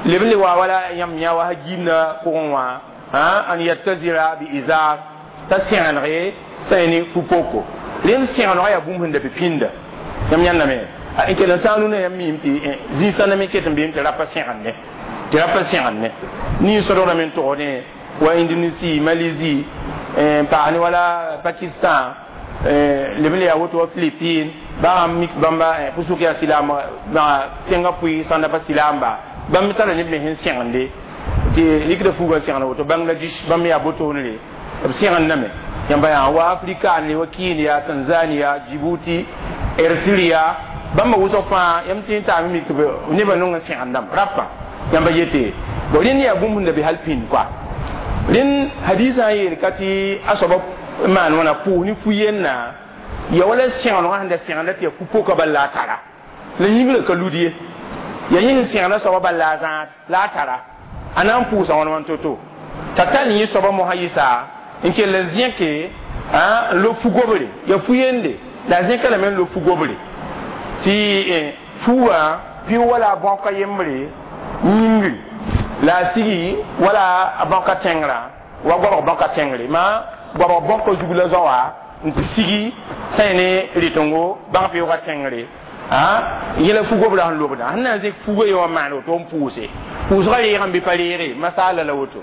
leb n le wa wala yãmb yã wa gimda pʋgẽ wã an yattazira bi izar t'a sẽgenege sã ne fu-poko rẽnd sẽgenega yaa bũmb sẽn da be pĩnda yãmb yãndame n kell n tãag rũnã yãmb miime tɩ zĩig-sãnda me ket n beem tɩ rapa sẽgende tɩ rapa sẽgende nin-sõdgrame n togsdẽ wa Indonésie Malaisie n paas ne wala Pakistan leb n le yaa woto wa Philippines bãmb mik bãmba pʋsʋk yaa silaam tẽngã pʋɩ sãnda pa silaamba bãmb tara neb me sẽn sẽgende tɩ rɩkda fuugã sẽgend woto Bangladesh bãmb yaa botoonre b sẽgendame yãmba yaa wa Afrika ne wa Kenya Tanzania Djibouti Eritrea bãmba wʋsg fãa yãmb tɩ n taame mik tɩ nebã nong n sẽgendame rapa yãmba yete bon rẽnd yaa bũmb sẽn da be hal pĩnd koa rẽnd hadiisã n yeel ka tɩ a soaba n maan wãna pʋʋs ne fu-yennã ya wala sẽgenegã sẽn da sẽgenda tɩ yaa fu-poka bal la a tara la yĩngrã ka lud ye ya yẽ sẽn sẽgenda soaba bal la a zãad la a tara a na n pʋʋsa wãn wãn to-to t'a tall yẽ soaba mosã yɩsa n kell n zẽke n lob fu-gobre ya fu-yende la a zẽka lame n lob fu-gobre tɩ fuugã pɩ wala a bãoka yembre yĩngri la a sigi wala a bãoka tẽngrã wa goabg bãoka tẽngre ma goabg bãoka zug la zao wã n tɩ sigi sã ne rɩtengo bãng pɩʋʋga tẽngre yẽla fu-gobrã sẽn lobda sẽn na n zẽk fuugã ye wã maan woto n pʋʋse pʋʋsgã reegame bɩ pa reege masaala la woto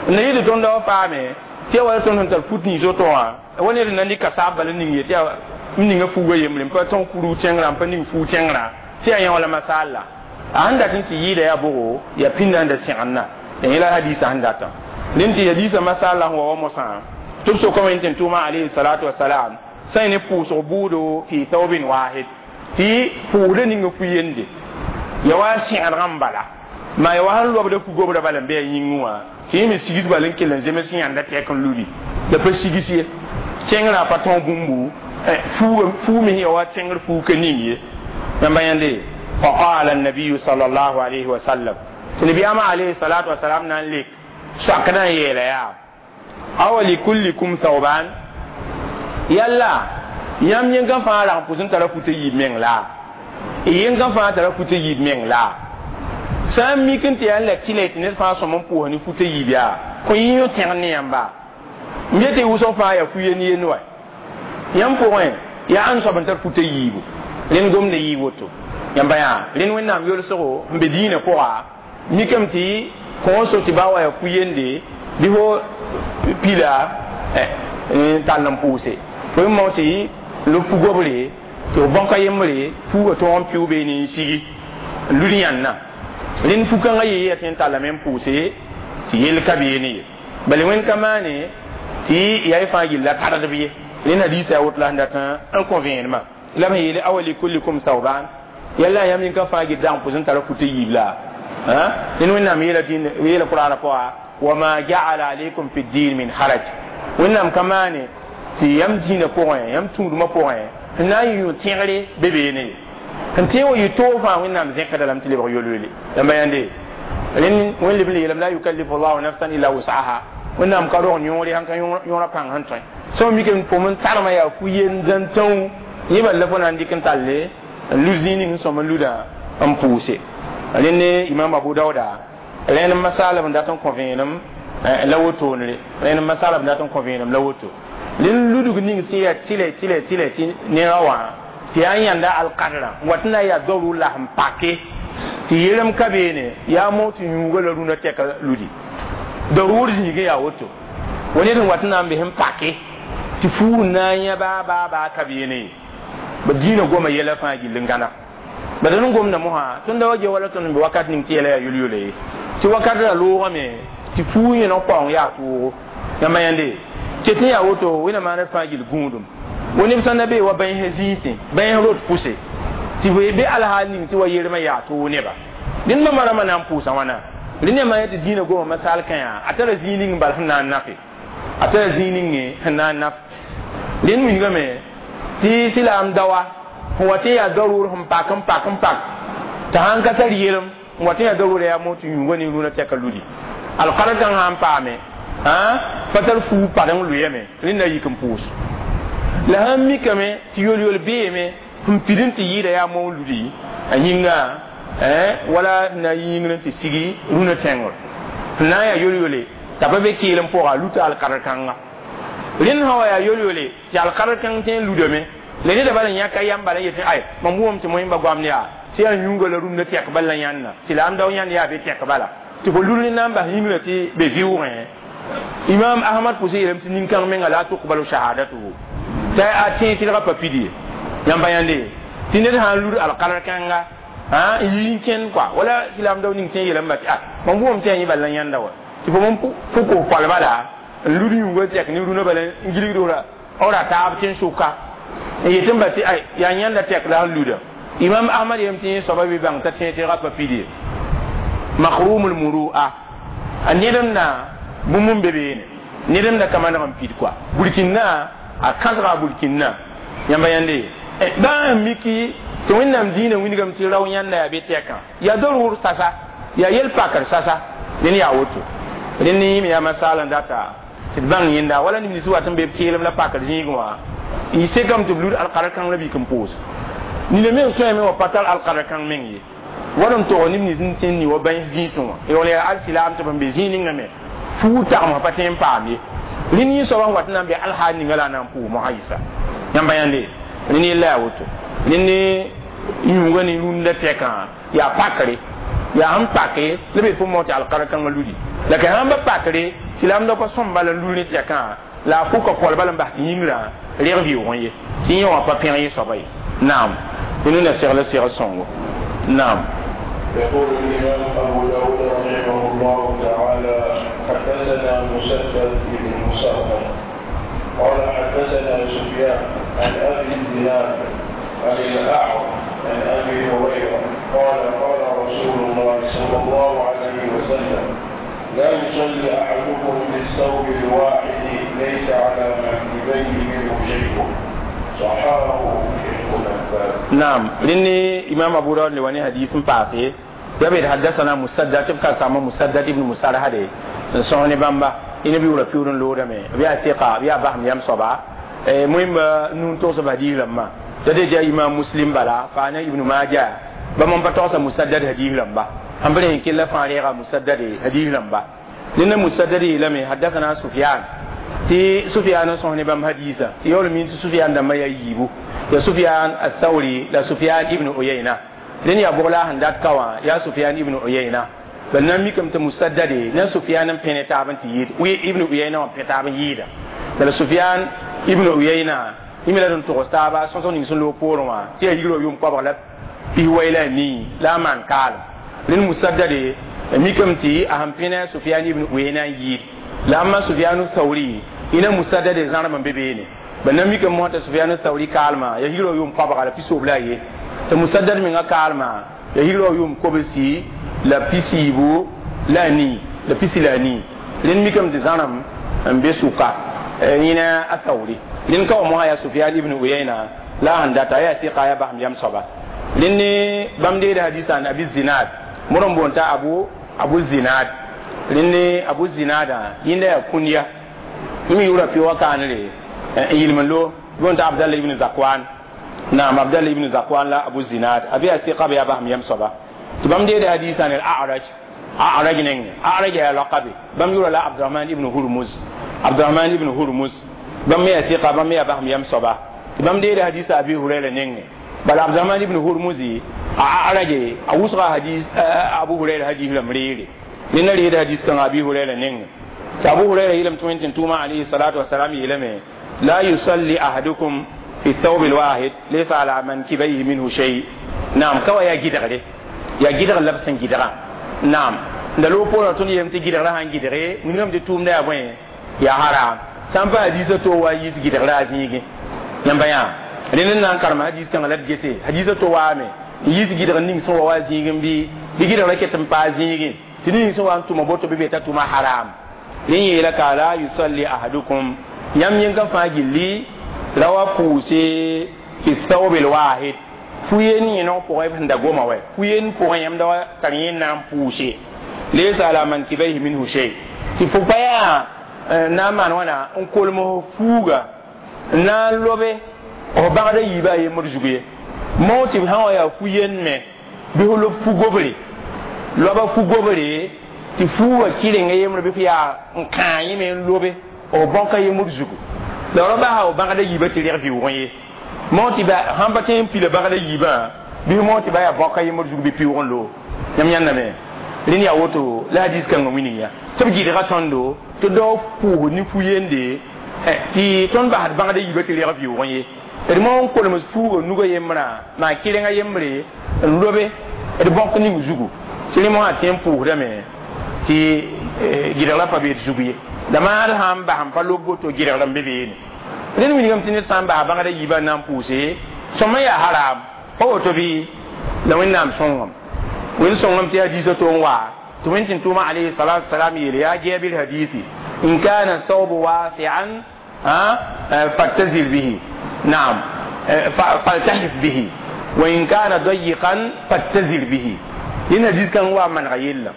Na yɩ tõnd wa paame tɩ ya wala tõnd sẽn tar put nins woto wã wa ned n na dɩka saab bala ning ye tɩ yaa m ninga fuuga yembre n pa tõg kurug tẽngrã n pa ning fuug tẽngrã tɩ yaa yẽ wala masaal la a sẽn dat n tɩ yɩɩda yaa bʋgo yaa pĩndã n da sẽgendã ya yẽ la hadiisã sẽn datã rẽnd tɩ hadiisã masaal la sẽn wa wa mosã tɩ b sokame n tɩ n tʋʋma alayhi salatu wasalam sã ne pʋʋsg buudo fi thawbin wahid tɩ pʋʋsda ninga fu yende ya wa sẽgdgã n bala maa ya wa sẽn lobda fu-gobra bala n be a yĩngẽ wã tɩ yẽ me sigs bal n kell n zems yãnda tɛk n ludi la pa sigs ye tẽngrã pa tõog bũmbu fuu me ya wa tẽngr fuu ka ning ye yãmba yãnde فقال النبي صلى الله عليه وسلم تنبي أما عليه الصلاة والسلام نان لك سأكنا يلا يا أو لكلكم ثوبان يلا yam yẽnga fãa rag n pʋs n tara fut yiib meng la yẽnga fãa tara fut yiib meng la sã n mik n tɩ yaa n la tɩla tɩ ned fãa sõm n pʋʋs ne fut yiib yaa kõ yɩ yõ tẽgd ne yãmba m yetɩ wʋsg fãa yaa fu-yen yen wa yãmb pʋgẽ yaa ãn soab n tar fut yiibu rẽnd gomda yɩɩ woto yãmba yaa rẽnd wẽnnaam yolsgo n be dĩinã pʋga mikame tɩ kõo so tɩ baa wa yaa fu-yende bɩ fo pila n tall n pʋʋse fo yẽ mao tɩ lo fu-gobre tɩ f bõka yembre fuuga tõog n pɩʋ beene n sigi n lud yãnna rẽnd fu-kãngã yee yaa tɩ n tallame n pʋʋse tɩ yell ka beene ye bala wẽnd ka maane tɩ yaa y fãa gilla tardb ye rẽnd hadiisa yaa woto la sẽn dat n kõ vẽenemã la b sẽn yeele awa likullikum thawban yalla yãmb yĩnka fãa gil dag n pʋs n tara fut yiib la rẽnd wẽnnaam yeela yeela qur'ana pʋga wama jaala alaykum fi ddin min haraj wẽnnaam ka maane tɩ yãmb dĩinã pʋgẽ yãmb tũudmã pʋgẽ n na n yɩ yũ tẽgre be beene ye n tẽ wa yɩ toog fãa wẽnnaam zẽkda lame tɩ lebg yol-yole yãmba yãnde rẽnd wẽn leb n le yeelame la yukallifu llahu nafsan illa wusaha wẽnnaam ka rog yõore sãn ka yõora pãng sẽn tõe sã mikame pʋm n tarmã yaa fu-yen zãn tãoo yẽ bal la fo na n dɩk n talle n lud zĩig ning n sõm n luda n pʋʋse rẽnd ne imam abu dauda rẽnd masaalb n dat n kõ vẽenem la wotoonre rẽnd masaalb n dat n kõ vẽenem la woto rẽnd ludg ning sẽn yaa tɩlɛ tɩlɛ tɩlɛ tɩ nera wã tɩ yaa n yãnda alkadrã n wat n na n yaa darur la sẽn pake tɩ yelem ka beene yaa mo tɩ yũuga la rũnã tɛka ludi darur zĩigẽ yaa woto wa ned n wat n na n be sẽn pake tɩ fuug n na n yã baa baa baa ka beene ye ba dĩinã goma yɛla fãa gill n gãna ba d n gomda mosã tõnd da wa ge wala tõnd n be wakat ning tɩ yɛla yaa yol-yola ye tɩ wakat ra loogame tɩ fuug yẽneg paoong yaa toogo yãmba yãnde ket n yaa woto wẽnnaam maaned fãa gill gũudum wa neb sã n na bee wa bãens zĩisẽ bãens rot pʋse tɩ be alhaal ning tɩ wa yermã yaa toog neba rẽnd bãmba rãmbã na n pʋʋsa wãna rẽnd yãmba yã tɩ dĩinã goma masaal kã yaa a tara zĩig ning bal sẽn na n nafe a tara zĩig ninge sẽn na n naf rẽnd wilgame tɩ silaam dawa sẽn wa tɩ yaa darur sẽn pak n pak n pak tɩ sãn ka tar yelem n wa tɩ yaa darura yaa mo tɩ yũuga ne rũnã tɛka ludi alkara kãng sã n paame pa tar fuug padeng lʋyame rẽnd na yik n pʋʋs la sãn mikame tɩ yol-yol beeme sẽn pid n tɩ yɩɩda yaa moon ludi a yĩnga wala na yĩngr n tɩ sigi rũnã tẽngr sẽn na n yaa yol-yole t'a pa be keel n pʋga a luta alkadr kãnga rẽnd sã wa yaa yol-yole tɩ alkadr kãng tõe n ludame la neda bala yãka yam bala yetɩ ay mam wʋm tɩ moẽmba goamd yaa tɩ yaa yũuga la rũndã tɛk bala la yãnna silaam dao yãnd yaa be tɛk bala tɩ fo lud na n bas yĩngrã tɩ be vɩʋʋgẽ imam ahmad pʋsẽ yeelame tɩ nin-kãng menga la tuqbalu shahadatuhu t'a a tẽ tɩlga pa pid ye yãmba yãnde tɩ ned sã n lud alkadr kãnga n yi n kẽnd kɔa wala silaam dao ning tẽ yeelame tɩ a mam wʋm tɩ yaa yẽ bala la yãnda wa tɩ fo m fo kos koalba la n lud yũuga tɛk ne rũnã bala n gilgd ra ra taab tɩ n sʋka n yetɩ n ba tɩ ay yaa yãnda tɛk la sẽn luda imam ahmad yem tɩ yẽ soaba be bãng t'a tẽ tɩlga pa pid ye makrumul murua a nedem na bũmb n be beene nedem na ka maneg n pid kɔa burkina a kãsga a burkina yãmba yãnde bãa n miki tɩ wẽnnaam dĩinã wilgame tɩ rao yãnda yaa be tɛkã yaa darur sasa yaa yel pakr sasa rẽnd yaa woto rẽnd yĩme yaa masaal n data tɩ d bãng yẽnda wala neb nins wat n be b keelem la pakr zĩigẽ wã y sekame tɩ b lud alkadr kãng la bik n pʋʋs nina meng tõeme wa pa tar alkadr kãng meng ye wad n tog neb nins n tẽn ni wa bãens zĩisẽ wã yaool yaa alsilaam tɩ b n be zĩig ninga me fuug tagmsã pa tõe n paam ye rẽnd yẽ soaba sẽn wat n na n be alhaal ninga la a na n pʋʋs mosã yɩsa yãmba yãnde rẽnd yella yaa woto rẽnd ne yũuga ne rũndã tɛkã yaa pakre Ya sẽn pake la be pʋ tɩ alkara kãngã ludi la ka sãn ba pakre silamda pa sõm bala n lul ne tɛkã la a pʋka kɔl bala n bas tɩ yĩngrã reg vɩʋʋgẽ ye tɩ yẽ wã pa pẽg yẽ soaba ye naam ned na segl segl sõngo naam. يقول الإمام أبو داود رحمه الله تعالى: حدثنا مسدد بن مسرهد قال حدثنا سفيان عن أبي الزناد عن الأعرج عن أبي هريرة قال: قال رسول الله صلى الله عليه وسلم: لا يصلي أحدكم في الثوب الواحد ليس على منكبيه منه شيء. صححه شيخ الألباني. نعم، لأني إمام أبو داود لواني حديث باسي يبي حدثنا مسدد تبقى سامو مسدد ابن مسرهد سوني بامبا ina bi wura piurun loda me bi a thiqa bi a bahm yam soba muhim nun to so hadith lamma da de ja imam Muslim bala fa na Ibn Majah ba mon pa to sa Musaddad hadith lamba ambere killa fa rega Musaddad hadith lamba linna Musaddad lame حدثنا سفيان ti Sufyan sõ ne bãmb hadisa tɩ yaool min tɩ Sufyan dãmbã yaa yiibu ya Sufyan Athawri la Sufyan ibn Uyayna rẽnd yaa bʋg la a sẽn dat ka wã yaa Sufyan ibn Uyayna bal na n mikame tɩ Musaddade na Sufyan n pẽ ne taab n tɩ yɩɩd ibn Uyayna wã pẽ taab n yɩɩda bala Sufyan ibn Uyayna yẽ me la d n togs taaba sõsg ning sẽn loog poorẽ wã tɩ yaa yigrã yʋʋm koabg la pis-wai la a nii la a maan kaalem rẽnd Musaddade mikame tɩ a sẽn pẽ ne Sufyan ibn Uyayna n yɩɩd la amma Sufyanu Thawri ina Musaddad zãrem n be beene ba na mikame mosã tɩ Sufyanu Thawri kaalmã ya yigrã yʋʋm koabga la pisob la a ye tɩ Musaddad menga kaalmã ya yigrã yʋʋm kobsi la pisiibu la a nii la pisi la a nii rẽnd mikame tɩ zãrem n be sʋka yẽna a Thawri rẽnd ka wa mosã yaa Sufyan ibn Uyayna la a sẽn data yaa sɩka yaa basem yam soaba rẽnd ne bãmb deeda hadisa an Abi Zinad modr n boond t'a Abu Zinad rẽnd Abu Zinada yẽnda yaa kũndiya yẽ me yʋʋra pɩ wa kaanre n yɩlem n lo boond t'a Abdallah ibn Zakwan naam Abdallah ibn Zakwan la Abu Zinad a be yaa sɩka be yaa basem yam soaba tɩ bãmb deeda hadisa ne A'raj A'raj neng A'raj yaa lakabe bãmb yʋʋra la Abdurahman ibn Hurmuz Abdurahman ibn Hurmuz bãmb me yaa sɩka bãmb me yaa basem yam soaba tɩ bãmb deeda hadisa Abi Hurayra nenge bala Abdurahman ibn Hurmuzi a A'raj a wʋsga hadis Abu Hurayra hadis lam reere ned na reeda hadis kãngã Abi Hurayra nenge tɩ Abu Hurayra yeelame tɩ wẽn tɩ tʋʋma alayhi salatu wasalam yeelame: لا يصلي أحدكم في الثوب الواحد ليس على منكبيه منه شيء. نعم كوا يا جدغري يا جدغ لبسن جدغا نعم da lo pora tun yem ti gidgra han gidre ngam de tum da boy ya haram sãn pa hadisa to wa yis gidgra zĩigi yãmba yã rẽnd n na n karem hadis kãngã la d gese hadisa to waame n yis gidg ning sẽn wa wa zĩigẽ bɩ bɩ gidgrã ket n paa zĩigẽ tɩ ning sẽn wa n tʋma boto bɩ be t'a tʋma haram rẽ yeela ka la yusalli ahadukum yãmb yẽnga fãa gilli ra wa pʋʋse fi thawb alwahid fu-yen yẽneg pʋgẽ b sẽn da goma wɛ fu-yen pʋgẽ yãmb da wa tar yẽ na n pʋʋse laysa ala mankibaihi minhu shay tɩ fo pa yaa na n maan wãna n kolem fuuga n na n lobe f bãgda yiibã a yembr zug ye mao tɩ b sã wa yaa fu-yen me bɩ fo lob fu-gobre loaba fu-gobre tɩ fuuga kɩrenga yembre bɩ f yaa n kãa yẽme n lobe f bãka yembr zugu la ra basa f bãgda yiibã tɩ reg vɩʋʋgẽ ye mao tɩ sãn pa tõe n pila bãgda yiibã bɩ mao tɩ ba yaa bãka yembr zug bɩ pɩʋʋg n loog yãmb yãndame rẽnd yaa woto la hadis kãngã wilg ya tɩ b gɩdga tõndo tɩ dao pʋʋs ne fu-yende tɩ tõnd basd bãgda yiibã tɩ reg vɩʋʋgẽ ye d mo n kolems fuuga nuga yembrã maa kɩrenga yembre n lobe d bõk ning zugu tɩ rẽ mosã tẽ n pʋʋsdame tɩ gɩdg pa bee d zug ye la maad sã n bas n pa lob boto gɩdg n be beene rẽnd wilgame tɩ ned sã n basa bãgda yiibã n na n pʋʋse sõma yaa haram pa woto bɩ la Wẽnnaam sõngame wẽnd sõngame tɩ hadisa to n wa tɩ wẽnd tɩ tʋʋma alayhi salatu wasalam yeele yaa Jabir hadisi in kana thawbu wasi'an fattazir bihi نعم فالتحف به وإن كان ضيقا فاتزر به لأن حديث كان هو من غير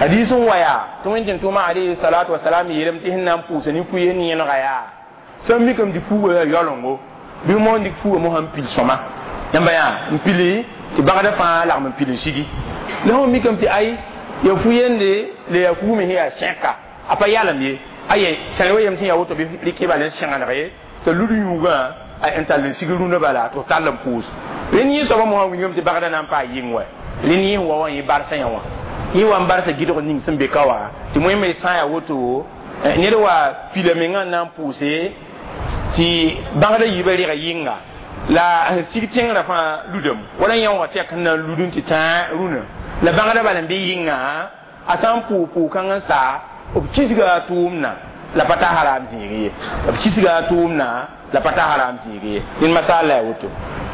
حديث ويا تمن توما عليه الصلاة والسلام يلم تهنا بوسني فوين ينغيا سمي كم دي فو يالونغو bi mo dik fu mo han pil soma yamba ya mpili ti bagada fa la m pili sigi la ho mi kam ti ay ya fu yende le ya ku mi ya shenka apa yalam ye aye sanwe yam ti ya woto bi likiba le shenga na ye to ludu yuga a n tall n sig rũndã bala tɩ f tall n pʋʋs rẽnd yẽ soabã mosã wilgame tɩ bagdã na n paa yɩng wɛ Rẽnd yẽ wa wã yẽ barsa yã wã yẽ wa n barsa gɩdg ning sẽn be ka wã tɩ wẽnme sã n yaa woto ned wa pila mengã n na n pʋʋse tɩ bãgda yiibã rega yɩnga la sẽn sig tẽngrã fãa ludame wala yã wã tɛk sẽn na n lud n tɩ tãa rũnã la bãgda bala n be yɩnga a sã n pʋʋg pʋʋg-kãng n sa b kisga a tʋʋmdã la pa ta haram zĩig ye b kisga a tʋʋmdã la pa ta haram zĩig ye ned masaal la yaa woto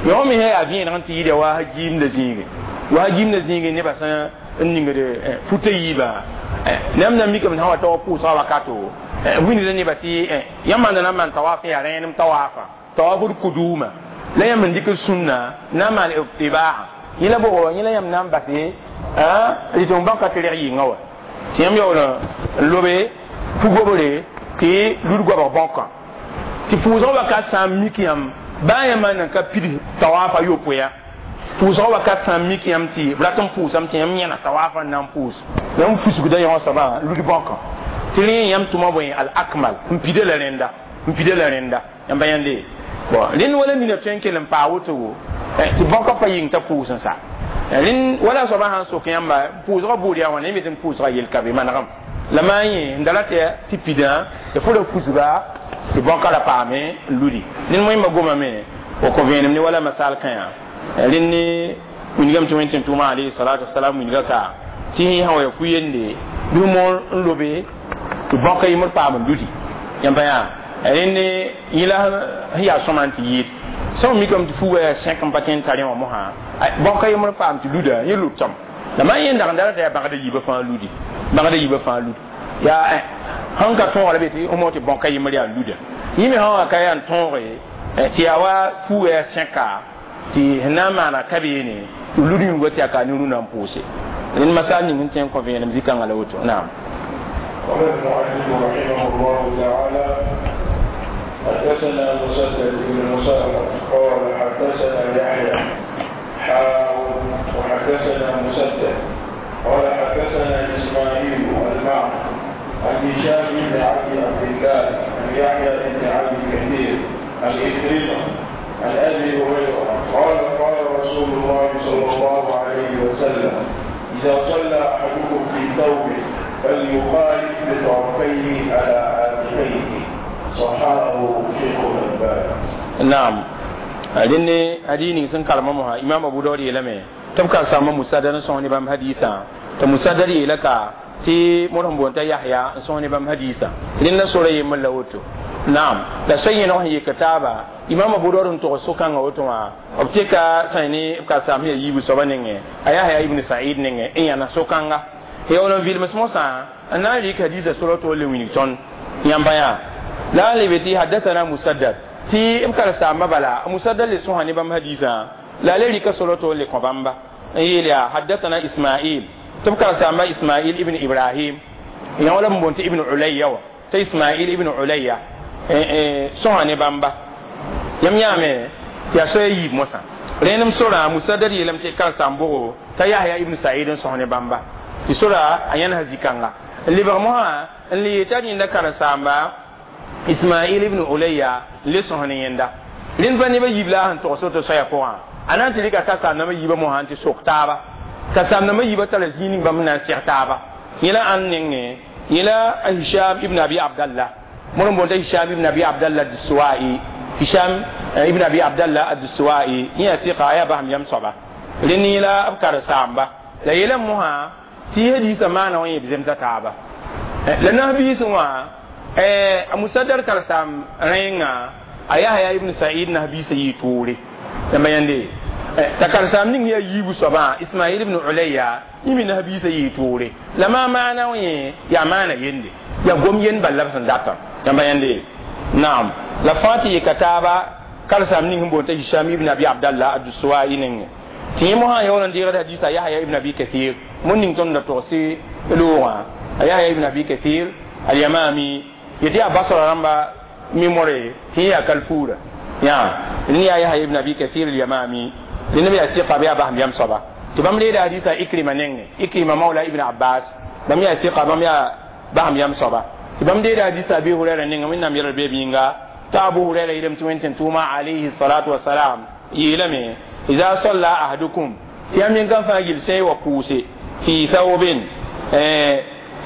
yõ me sã yaa vẽeneg n tɩ yɩɩda wa giimda zĩige wa giimda zĩige nebã sã n ningd futa yiibã neb na mikame sã wa tawa pʋʋsga wakato wilgda nebã tɩ yãmb maanda na n maan tawaaf yaa rẽenem tawaafa tawaafd kuduma la yãmb n dɩk sũnna na n maan itibaa yẽ la bʋgo yẽ la yãmb na n base tɩ m bãka tɩ reg yɩnga wa tɩ yãmb yaool n lobe pu-gobre tɩ lud goabg bãokã tɩ pʋʋsg wakat sã n mik yãmb baa yãmb nan ka pid tawaafa yopoe pʋʋsg wakat sã n mik yãmb tɩ b rat n pʋʋsame tɩ yãmb yẽna tawaafa n na n pʋʋs yãmb fusgda yõ soabã lud bãokã tɩ rẽ yãmb tʋma bõe al akmal n pida la rẽnda n pida la rẽnda yãmba yãnde bon rẽnd wala nina tõe n kell n paa woto tɩ bãokã pa yɩng t'a pʋʋs n sa rẽnd wala soabã sãn sok yãmba pʋʋsgã buud yaa wãna yẽ me tɩ n pʋʋsga yel ka be manegem la maa yẽ n da ra tɩ pidã tɩ fo ra kusga tɩ bãokã ra paame n ludi ned wẽmba gomame o kõ vẽenem ne wala masal kãyã rẽnd ne wilgame tɩ wẽn tɩ tʋʋma alayhi salatu wasalam wilga ka tɩ sã wa ya fu-yende bɩ moor n lobe tɩ bãokã yembr paam n ludi yãmba yaa rẽnd ne yẽ la sẽn yaa sõma n tɩ yɩɩd sã mikame tɩ fuuga yaa sẽk n pa tõe n tar wã mosã bãokã yembr paam tɩ luda yẽ lutame la maa yẽ dag n da t'a yaa bãgda yiibã fãa ludi bãgda yiibã fãa lud yaa sẽn ka tõog la be tɩ mo tɩ bãokã yembr yaa luda yẽ me sã wã ka yaa n tõoge tɩ yaa wa fuuga yaa sẽka tɩ sẽn na n maana ka beene tɩ lud yũngã tɩ yaa ka ne rũnã n pʋʋse rẽnd masal ning n tõe n kõ vẽenem zĩ-kãngã la woto naam. قال المؤلف رحمه الله تعالى حدثنا مسدد بن مسرد قال حدثنا يحيى حاء وحدثنا مسدد قال حدثنا اسماعيل المعنى عن هشام بن عبد الله عن يحيى بن عبد كثير عن إكرمة عن ابي هريره قال قال رسول الله صلى الله عليه وسلم اذا صلى احدكم في ثوبه فليخالف بطرفيه على عاتقيه. صححه شيخ الألباني. نعم rẽnd hadis ning sẽn karema mosã imam abu daud yeelame tɩ b ka sãmba musadar n sõs ne bãmb hadisã tɩ musadar yeela ka tɩ mod sẽn boond t'a yahya n sõs ne bãmb hadisã rẽnd la sora yembr la woto naam la soa yẽneg sẽn yek taaba imam abu daud n tog so-kãngã woto wã b tɩka sã ne b ka saam sẽn yaa yiibu soaba nengẽ a yahya ibn said nengẽ n yãna so-kãnga yaool n vilms mosã n na n rɩk hadisã sora to le wilg tõnd yãmba yaa la n lebe tɩ hadathana musaddad tɩ b karen-saambã bala musaddad le sõsa ne bãmb hadisã la a le rɩka sora to n le kõ bãmba n yeel yaa hadathana ismail tɩ b karen-saamba ismail ibn ibrahim yã wala b boond tɩ ibn ulaya wa t'a ismail ibn ulaya sõsa ne bãmba yãmb yãame tɩ yaa soa yiib mosã rẽnem sorã musaddad yeelame tɩ karen-saam bʋgo t'a yahya ibn said n sõs ne bãmba tɩ sora a yãnesã zĩ-kãnga n lebg mosã n le yeta rẽnda karen-saamba ismail ibn ulaya n le sõs ne yẽnda rẽnd pa nebã yiib la a sẽn togs woto soaya pʋgã a na n tɩ rɩka ka-saam-nambã yiibã mosã n tɩ sok taaba ka-saam-nambã yiibã tara zĩig ning bãmb na n seg taaba yẽ la ãnd nengẽ yẽ la hisham ibn abi abdallah mod n boond t'a hisham ibn abi abdallah adsuwai hisham ibn abi abdallah adsuwai yẽ yaa sɩka a yaa basam yam soaba rẽnd yẽ la b karen-saamba la yeelame mosã tɩ hadisã maana wã yẽ b zemsa taaba la nasbiisẽ wã a musaddar karen-saam rẽnga a yahya ibn said nasbiisã yɩɩ toore yãmba yãnde t'a karen-saam ning yaa yiibu soabã ismail ibn ulaya yẽ me nasbiisã yɩɩ toore la maa maana wã yẽ yaa maana yende yaa gom yend bal la b sẽn datã yãmba yãnde naam la fãa tɩ yeka taaba karen-saam ning sẽn boond t'a hisham ibn abi abdallah adsuwai nengẽ tɩ yẽ mosã yaool n deegd hadisa yahya ibn abi kathir mon ning tõnd da togs loogã a yahya ibn abi kathir alyamami yetɩ yaa basra rãmba memore tɩ yẽ yaa kalfuura yã rẽnd yaa yahya ibn abi kathir alyamami rẽnd b yaa sɩka b yaa basem yam soaba tɩ bãmb reeda hadisa ikrima nengẽ ikrima maula ibn abbas bãmb yaa sɩka bãmb yaa basem yam soaba tɩ bãmb deeda hadisa abi hurɛra nengẽ wẽnnaam yɛlg beeb yĩnga t'a abu hurɛra yeelame tɩ wẽn tɩ tʋʋma alayhi salatu wasalam yeelame iza salla ahadukum Tɩ yãmb yẽn fãa gill sã n wa pʋʋse fi thawbin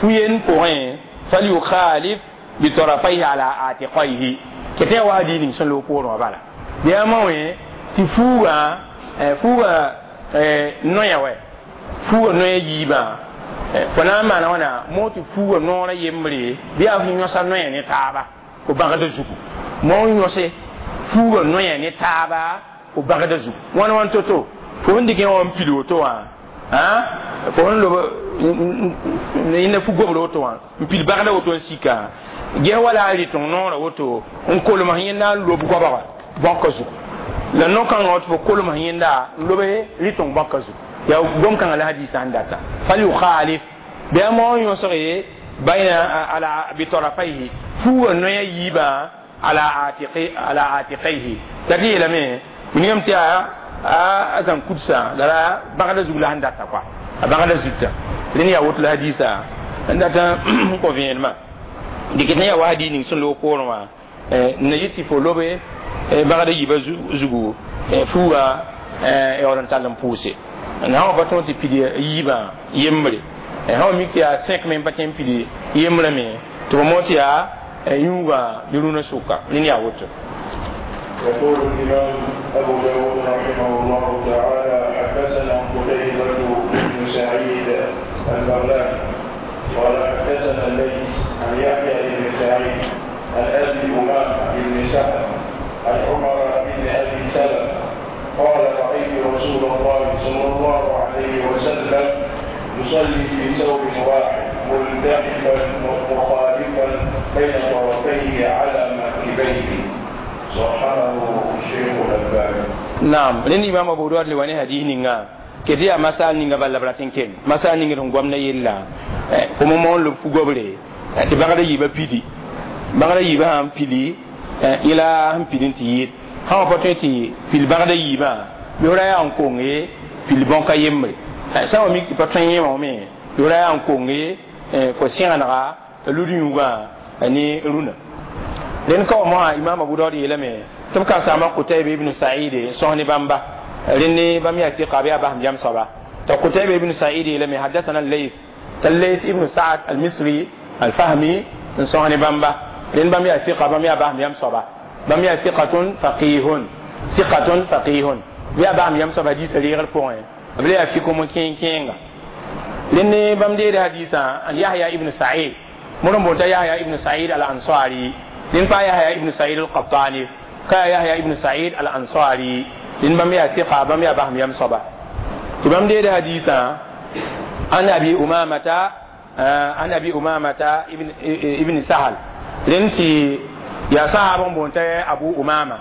fu-yen pʋgẽ falyukhalif bitarafaihi ala atiqaihi kɩ tɩ ya wa hadiis ning sẽn loog poorẽ wã bala bɩ yaa ma wẽ tɩ fuugã fuugã noya wɛ fuugã noya yiibã fo na n maana wãna moog tɩ fuugã noorã yembre bɩ yaa f yõsa noya ne taaba fo bãgda zugu moog yõse fuugã noya ne taaba fo bãgda zugu wãn wãn to-to fo sẽn dɩk yã wã n pil woto wã fo sẽn lob yẽnda fu-gobr woto wã n pil bãgda woto n sika ges wala a rɩteng noorã woto n kolms yẽnda n lob goabga bãka zugu la no-kãngã wa tɩ fo kolms yẽnda n lobe rɩteng bãka zugu yaa gom-kãngã la hadiisã sẽn data falyukhalif bɩ a moog yõsge bayna ala bitarafaihi fuugã noya yiibã ala atiqi ala atiqaihi la tɩ yeelame wilgame tɩ yaa a zãng kudsã la la bãgda zug la sẽn data kɔa a bãgda zugtã rẽnd yaa woto la hadiisã n data n kõ vẽenemã dɩk tɩ yaa wa hadiis ning sẽn loog poorẽ wã n na yet tɩ fo lobe bãgda yiibã zugu fuugã yaool n tall n pʋʋse n sã wa pa tõog tɩ pid yiibã yembre sã wa mik tɩ yaa sẽk me n pa tõe n pid yembrã me tɩ fo moog tɩ yaa yũugã ne rũnã sʋka rẽnd yaa woto. يقول الإمام أبو داود رحمه الله تعالى حدثنا قتيبة بن سعيد البغلاني قال حدثنا الليث عن يحيى بن سعيد عن أبي أمامة بن سهل عن عمر بن أبي سلمة قال رأيت رسول الله صلى الله عليه وسلم يصلي في ثوب واحد ملتحفا مخالفا بين طرفيه على منكبيه. صححه الشيخ الألباني. نعم لأن إمام أبو داود لواني هديه نينغا كتي مسال نينغا بلا بلاتين كين مسال نينغا تنقوم نيلا كم مون لب فوغبري تبغى يبا بيدي بغى يبا هم بيدي إلى هم بيدين تيت هم بطنتي بيل بغى يبا يورا يان كونغي بيل بونكا يمري سوا ميك بطن يمامي يورا يان كونغي فسيانا لودي يوغا ني رونا لأن كما إمام أبو داود يلمي تبقى سامع قتيبة بن سعيد صهني بامبا لأني بام يأتي قابيا بهم جام صبا قتيبة بن سعيد يلمي حدثنا الليث الليث ابن سعد المصري الفهمي صهني بامبا لأن بام يأتي قابيا بهم جام صبا بام يأتي ثقة فقيه ثقة فقيه يا بهم جام صبا دي سرير البوين بلا يفيكم كين كين لأني بام دي حديثا عن يحيى ابن سعيد مرمبوتا يحيى ابن سعيد الأنصاري لين با يحيى ابن سعيد القطاني كا يحيى ابن سعيد الأنصاري لين بام يا ثقة بام يا بهم يم صبا تبام دي حديثا عن أبي أمامة عن أبي أمامة ابن سهل لين تي يا صحابة بونتا أبو أمامة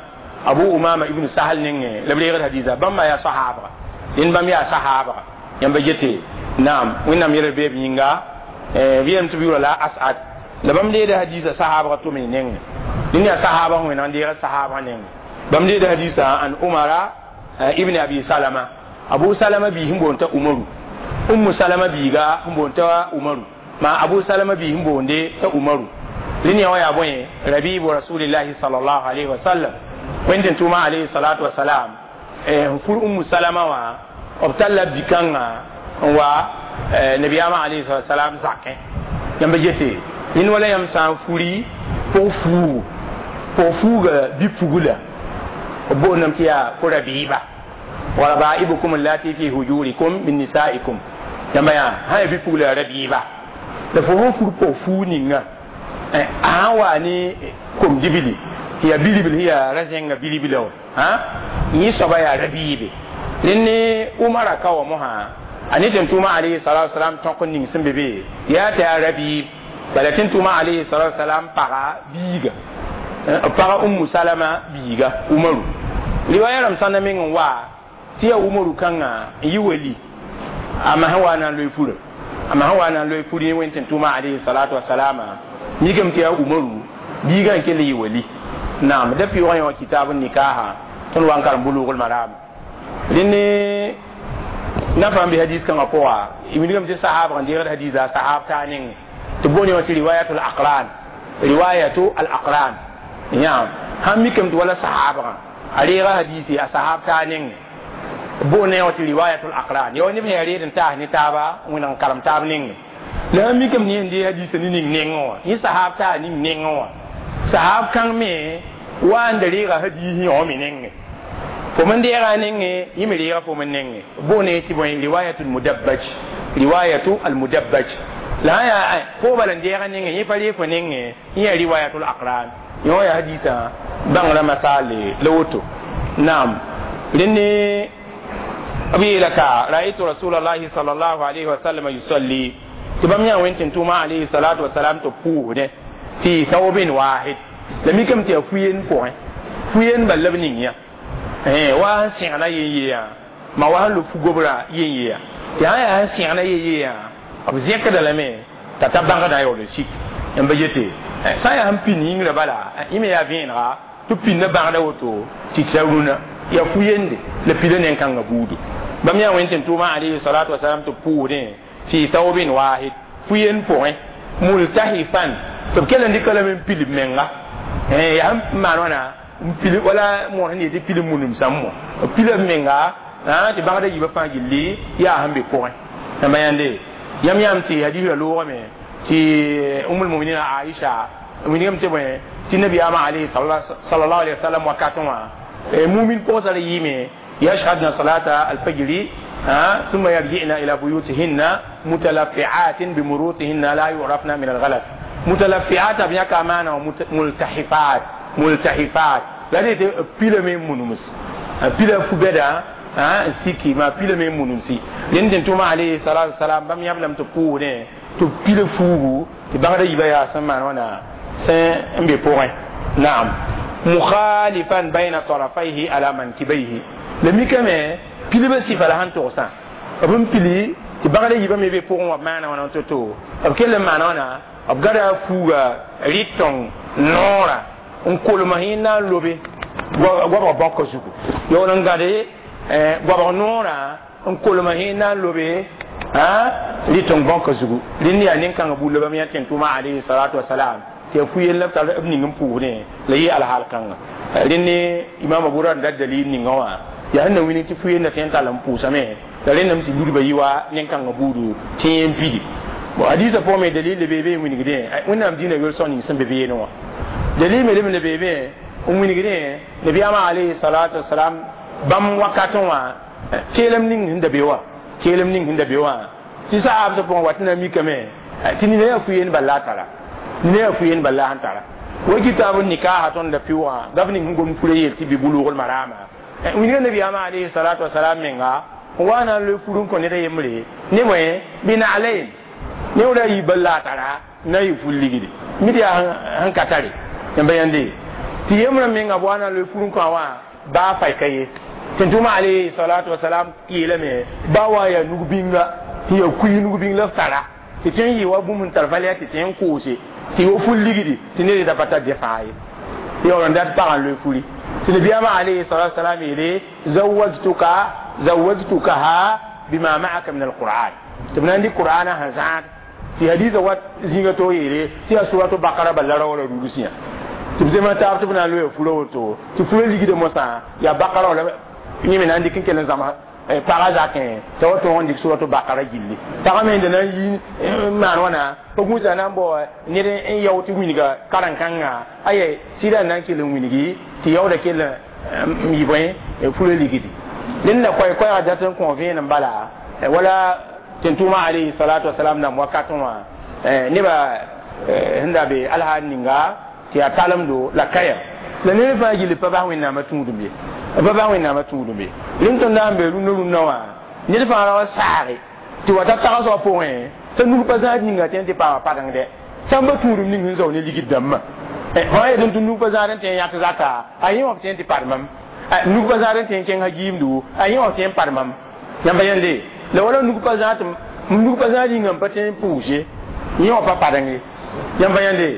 أبو أمامة ابن سهل نين لبليغ الحديثة بام يا صحابة لين بام يا صحابة يم بجتي نعم وين يربي بينغا بيم تبيو لا أسعد la bãmb deeda hadiisã sahaabga tʋm y nengẽ dẽnd yaa sahaabã wẽneg n deega sahaabã nengẽ bãmb deeda hadiisã an umara ibn abi salama abu salama biis n boond t'a umaru ummu salama biiga n boond t'a umaru maa abu salama biis n boonde t'a umaru rẽnd yã wã yaa bõe rabibu rasulillahi sallallahu alayhi wa sallam wẽnd tɩ tʋʋma alayhi salatu wasalam n fur ummu salama wã b talla bi-kãngã n wa nabiyaamã alayhi salatu wasalam zakẽ yãmb yete yẽnd wala yãmb sã n furi pʋg fuugu pʋg fuuga bi-pugla b boondame tɩ yaa fo rabiiba wa rabaibukum allati fi hujurikum min nisaikum yãmba yaa sã yaa bi-pugla yaa rabiiba la fo sẽn fur pʋg fuug ninga a sã n waa ne kom-dibli tɩ yaa bilibl sẽn yaa ra-zẽnga bilibla wã yẽ soaba yaa rabiibe rẽnd ne umara ka wa mosã a ne tɩ tʋʋma alayhi salatu wasalam tõk n ning sẽn be be yaa tɩ yaa rabiib bala tɩ tʋʋma alayhi salatu wasalam paga biiga paga ummu salama biiga umaru riwaya rãmb sãnda meng n wa tɩ yaa umaru kãngã n yɩ wali a masã wa na n loe fura a masã wa na n loe fur yẽ wẽnd tɩ tʋʋma alayhi salatu wasalama mikame tɩ yaa umaru biigã n kell yɩ wali naam da pɩʋgã yã wã kitaab nikaha tõnd wa n karem bulugl maram rẽnd na fãa n be hadis kãngã pʋga wilgame tɩ sahaabg n deegd hadiisa sahaab taa nengẽ تبوني وتي رواية الأقران رواية الأقران نعم هم ميكم ولا صحابة عليها حديثي أصحاب تانين Bo ne wati riwayatul aqran yo ni be yare din ta ni taba wẽneg n karem taab nengẽ la a mikame ne n dee hadiisã ne ning nengẽ wã yẽ sahab taa ning nengẽ wã sahab kãng me wa n da reega hadiis yõ me nengẽ fo men deega nengẽ yẽ me reega fo men nengẽ bo ne tɩ bõe riwayatul mudabbaj riwayatu al mudabbaj la sã yaa fo bala n deega nengẽ yẽ pa ree fo nengẽ yẽ yaa riwayatul aqran yõ yaa hadiisã bãngrã masaale la woto naam rẽnd b yeela ka raaitu rasulallahi sallallahu alayhi wa sallam yusalli tɩ bãmb yã wẽn tɩ tʋʋma alayhi salatu wasalam tɩ pʋʋsdẽ fi thawbin wahid la mikame tɩ yaa fu-yen pʋgẽ fu-yen bal la b ning yã wa sẽn sẽgna yen-yeeyã ma wa sẽn lob fu-gobrã yen-yeeyã tɩ sã yaa sẽn sẽgna yen-yeeyã b zẽkda lame t'a ta bãngdã yaool n sik n ba yete sã n yaa sẽn pĩnd yĩngrã bala yẽ me yaa vẽenega tɩ pĩndã bãgda woto tɩ tɩ rũnã yaa fu-yende la pila nen-kãngã buudu bãmb yaa wẽn tɩ tʋʋma alayhi salatu wasalam tɩ pʋʋsdẽ fi thawbin wahid fu-yen pʋgẽ multahifan tɩ b kell n dɩka lame n pil b menga yaa sẽn maan wãna n pil wala moor sẽn yetɩ pil munum sãmb b pila b menga tɩ bãgda yiibã fãa gilli yaa sẽn be pʋgẽ yãmba yãnde yãmb yãmb tɩ hadiisrã loogame tɩ umul muminina Aisha wilgame tɩ bõe tɩ nabiyaamã alayhi sallallahu alayhi wa sallam wakatẽ wã mumin pʋgsa ra yɩɩme يشهدن صلاة الفجر ثم يرجعن إلى بيوتهن متلفعات بمروطهن لا يعرفن من الغلس متلفعات بياك أمانة ملتحفات ملتحفات لا بيلا من منومس بيلا فبدا سيكي ما بيلا من منومسي لأن توما عليه الصلاة والسلام بام يبلم تقول تبيلا فوغو تبغى يبقى يا سمان وانا سن بي نعم مخالفا بين طرفيه على منكبيه la mikame pilibã sɩfa la sẽn togsã b n pili tɩ bãgda yiibã me be pʋgẽ wã b maana wãna to-to b kell n maana wãna b gada fuuga rɩtõng noorã n kolem yẽ na n lobe goabg bãkã zugu yaool n gade goabg noorã n kolem yẽ na n lobe rɩtõng bãkã zugu rẽnd yaa nen-kãngã bulla bãmb yã tẽn tʋʋma alayhi salatu wasalam tɩ yaa fu-yell la b tar b ning n pʋʋsdẽ la yɩ alhaal kãnga rẽnd imam abu ra n dat dalil ninga wã yaa sẽn na wilg tɩ fu-yenda tõe n tall n pʋʋsame la rẽndame tɩ ludba yɩ wa nen-kãngã buudu tɩ yẽ n pidi bon hadiisã pʋgẽ me dalil le beebe n wilgdẽ wẽnnaam dĩinã yol-sõng ning sẽn be beene wã dalil me lem le beebe n wilgdẽ nabiyaamã alayhi salatu wasalam bãmb wakatẽ wã keelem ning sẽn da be wã keelem ning sẽn da be wã tɩ saabsã pʋgẽ wat na mikame tɩ nina yaa fu-yend bal la a tara nina yaa fu-yend bal la sẽn tara wa kitabu nikaha tõnd la pɩʋgã gaf ning sẽn gom fura yel tɩ bɩ bulugl marama wilga nabiyaamã alayhi salatu wasalam menga n wa na n loe fur n kõ ned a yembre ne bõe bɩ naalayn ne wra yi bal la a tara na yɩ fur ligde mid yaa sẽn ka tare yãmba yãnde tɩ yembrã menga b wa na n loe fur n kõ a wã baa fay ka ye tɩ tʋma alayhi salatu wasalam yeelame baa wa yaa nug-bĩnga tɩ yaa kuy nug-bĩng la f tara tɩ tõe n yɩ wa bũmb n tar valɛɛ tɩ tõe n koose tɩ wa fur ligdi tɩ ned da pa tar dẽ fãa ye yaool n dat pagã n loe furi tɩ nabiyaamã alayhi salatu wasalam yeele zawajtukaha bima ma'aka min alquran tɩ b na n dɩk qur'ana sẽn zãad tɩ hadiisã wat zĩnga to yeele tɩ yaa suratu bakara bal la raoora rugusã tɩ b zema taab tɩ b na n loe fura woto tɩ fura ligda mosã yaa bakara wala yẽ me na n dɩk n kell n zãms paga zakẽ t'a wa tõog n dɩk suratu bakara gilli pagã me da na n yi n maan wãna pa gũusa na n bao ned n yao tɩ wilga karen-kãngã aya sɩda n na n kell n wilgi tɩ yaooda kell n yɩ bõe fura ligdi rẽnd la koɛɛ-koɛɛgã dat n kõ vẽenem bala wala tɩ tʋʋmã alayhi salatu wasalam nam wakatẽ wã nebã sẽn da be alhaal ninga tɩ yaa talemdo la kaya la ned fãa gilli pa bas wẽnnaamã tũudum ye pa bas wẽnnaamã tũudum ye rẽnd tõnd na n be rũnnã rũnnã wã ned fãa ra wa saage tɩ wa ta tagsgã pʋgẽ t'a nug pa zãad ninga tẽ tɩ paama padengdɛ sãn ba tũudum ning sẽn zao ne ligd dãmbã fãa yetɩ tɩ nug pa zãad n tõe n yãk zaka a yẽ wã b tõe n tɩ padmam nug pa zãad n tõe n kẽng hagiimdu a yẽ wã b tõe n padmam yãmba yẽnde la wala nug pa zãad nug pa zãad yĩnga n pa tõe n pʋʋse yẽ wã pa padeng ye yãmba yẽnde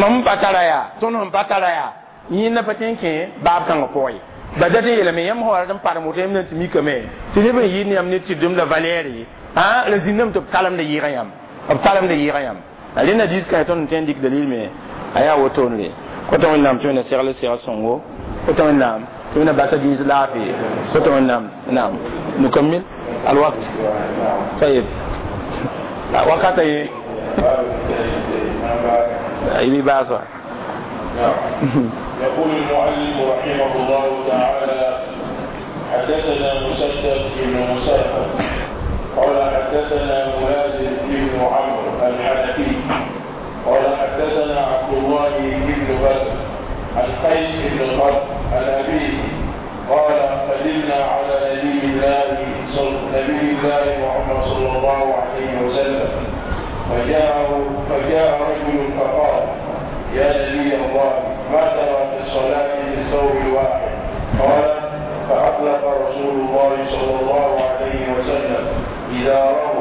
mam pa tara yaa tõnd sẽn pa tara yaa yẽnda pa tõe n kẽ baab kãngã pʋgẽ ye ba dat n yeelame yãmb sã wa rat n padem woto yãmb na tɩ mikame tɩ neb n yɩɩd ne yãmb ne tɩdem la valɛɛre la zĩndame tɩ b talemda yɩɩgã yãmb b talemda yɩɩgã yãmb rẽnda diis kãe tõnd n tõe n dɩk dalil me a yaa wotone kota wẽnnaam tɩ wẽnna segl seg sõngo. Woto wẽnnaam tɩ wẽnna basa gĩis laafɩ woto wẽnnaam naam nukammil alwakt طيب وقت اي باسا. يقول المؤلف رحمه الله تعالى: حدثنا مسدد بن مسرهد قال حدثنا ملازم بن عمرو الحنفي قال حدثنا عبد الله بن بدر عن قيس بن طلق عن أبيه قال: قدمنا على نبي الله محمد صلى الله عليه وسلم فجاء رجل فقال: يا نبي الله، ما ترى في الصلاة في الثوب الواحد؟ قال: فأطلق رسول الله صلى الله عليه وسلم إزاره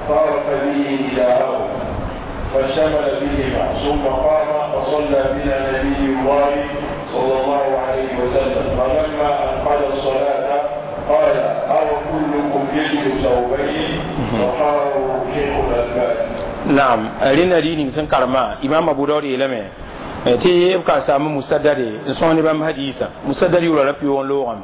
فارق به إزاره فشمل بهما، ثم قام فصلى بنا نبي الله صلى الله عليه وسلم. فلما أنقضى الصلاة قال: أو كلكم يجد ثوبين؟ وقال شيخ الألباني. نعم، رين دين سن كرما إمام أبو داود يلمه تي يبقى سام مسدد سوني بام حديثا مسدد يولا ربي ون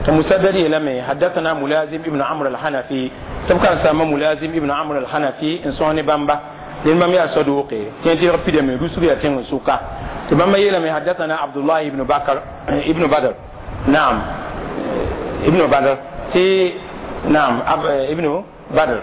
مسدد يلمه حدثنا ملازم ابن عمرو الحنفي تبقى سام ملازم ابن عمرو الحنفي سوني بامبا لين مام يا صدوقي تنتي ربي دم رسول يا تين سوكا تمام يلمه حدثنا عبد الله ابن بكر ابن بدر نعم ابن بدر تي نعم ابن بدر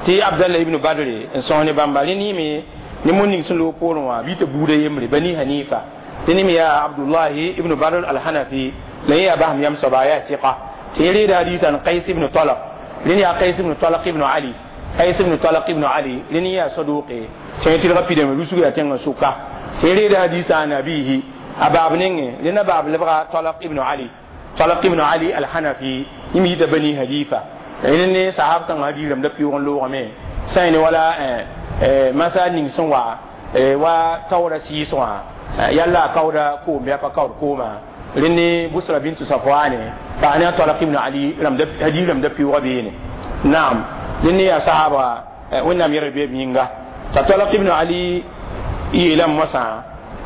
تي عبد الله ابن بدر سوني بامبا لين مي ni mun ning sun lo poorẽ wã bɩ tɩ buudã yembre Bani Hanifa tɩ ne me yaa Abdullahi ibn Badr al-Hanafi la yẽ yaa basem yam soaba yaa tɩka tɩ yẽ reeda hadiisã n Qays ibn Talaq rẽnd yaa Qays ibn Talaq ibn Ali Qays ibn Talaq ibn Ali rẽnd yaa saduqe tɩ yẽ tɩlga pidame rusg yaa tẽngã sʋka tɩ yẽ reeda hadiisã an abihi a baab nengẽ rẽnd a baab lebga Talaq ibn Ali Talaq ibn Ali al-Hanafi yẽ me yita Bani Hanifa rẽnd ne sahab kãngã hadiis rãmb la pɩʋʋg n loogame sã ne wala masa ning sẽn wa wa taoora sɩɩs wã yalla a kaooda koom bɩ a pa kaood koomã rẽnd ne Busra bintu Safwane paa ne a Talaq ibn Ali hadiis rãmb da pɩʋʋga beene naam rẽnd ne yaa sahaba wẽnnaam yɛrd beeb yĩnga t'a Talaq ibn Ali yeelame moasã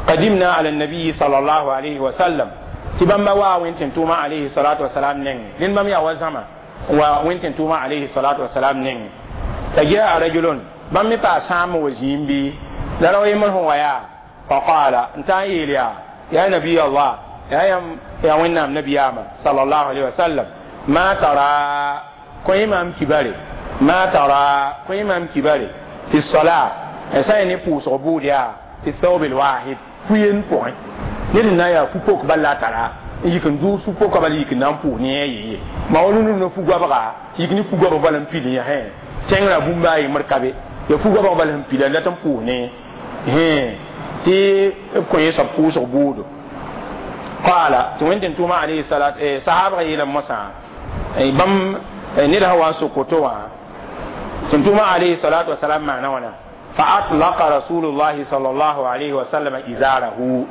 qadimna ala nabiyi sallallahu alayhi wa sallam tɩ bãmba waa wẽn-tẽn-tʋʋmã alayhi salatu wasalam nengẽ rẽnd bãmb yaa wa zãma wa wẽn-tẽn-tʋʋmã alayhi salatu wasalam nengẽ t'a jaa rajulun bãmb me paa sãam wa zĩim bɩ la rao yembr sẽn wa yaa faqaala n taa n yeel yaa yaa nabiy allah yaa wẽnnaam nabiyaamã sallallahu alayhi wa sallam ma tara kõ maam kibare ma tara kõ maam kibare fi sola sã ne pʋʋsg bʋʋd yaa fi thawb alwahid fu-yen pʋgẽ ned n na n yaa fu-pok bal la a tara n yik n dʋʋs fu-poka bal yik n na n pʋʋs ne a yeye ma wa rũndum na fu-goabga yik ne fu-goabg bal n pil yã tẽngrã bũmba a yembr ka be ya fu-goabg bal sẽn pila dat n pʋʋs ne tɩ b kõ yẽ soab pʋʋsg bʋʋdo qaala tɩ wẽn-tẽn-tʋʋmã alayhi salat sahabga yeelame moasã bãmb ned sã wa n sok woto wã tẽn-tʋʋmã alayhi salatu wasalam maana wãna fa atlaqa rasulullahi sallallahu alayhi wa sallam izarahu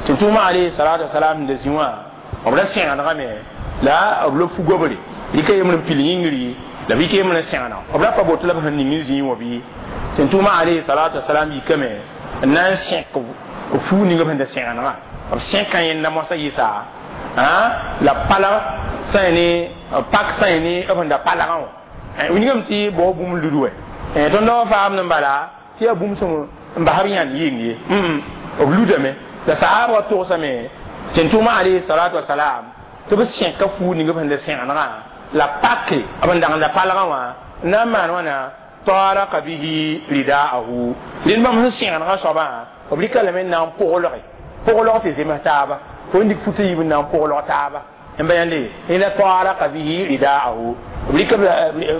tẽn-tʋʋmã alayhi salatu wasalam da zĩ wã b ra sẽgenegame la b lob fu-gobre rɩka yembr n pil yĩngri la b yik yembr n sẽgena b ra pa boto la b sẽn ning n zĩig wã bɩ tẽn-tʋʋmã alayhi salatu wasalam yikame n na n sẽk fuu ning b sẽn da sẽgenegã b sẽka yẽnda moasã yɩsa la palg sã ne pak sã ne b sẽn da palgã wã wilgame tɩ bao bũmb lud wɛ tõnd wa faamd n bala tɩ yaa bũmb sẽn n basb yãnd yɩng ye b ludame la sahabã togsame tẽn-tʋʋmã alayhi salatu wasalam tɩ b sẽka fuu ning b sẽn da sẽgenegã la pake b n dag n da palgã wã n na n maan wãna taraka bihi ridaahu rẽnd bãmb sẽn sẽgenegã soabã b rɩka lame n na n pʋglge pʋglg tɩ zems taaba fo n dɩk futa yiib n na n pʋglg taaba n ba yãnde ila taraka bihi ridaahu b rɩka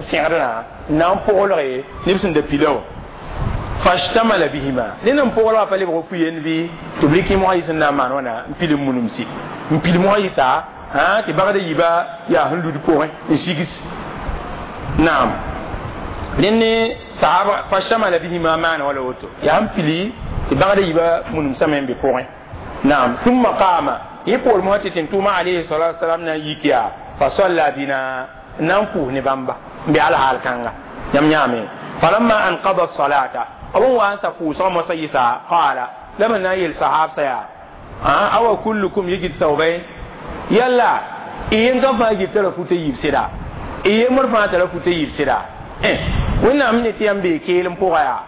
sẽgdrã n na n pʋglge neb sẽn da pila wã fashtamala bihima rẽnd n pʋglgã pa lebg fu-yend bɩ tɩ b rɩk mosã yɩs n na n maan wãna n pil n munumsi n pil mosã yɩsa tɩ bagda yiibã yaa sẽn lud pʋgẽ n sigs naam rẽnd ne sahaba fashtamala bihima maana wala woto yaa sẽn pili tɩ bagda yiibã munumsame n be pʋgẽ naam thumma qama yẽ poor mosã tɩ tẽn-tʋʋmã alayhi salatu wasalam na n yik yaa fa salla bina n na n pʋʋs ne bãmba n be alhaal kãnga yãmb yãame falamma anqada salata b n wa n sa pʋʋsgã mosã yɩsa qaala la b na n yel sahabsã yaa awa kullukum yajid thawbayn yalla y yem kam fãa gil tara futa yiib sɩda y yembr fãa tara futa yiib sɩda wẽnnaam ne tɩ yãmb bee keelem pʋga yaa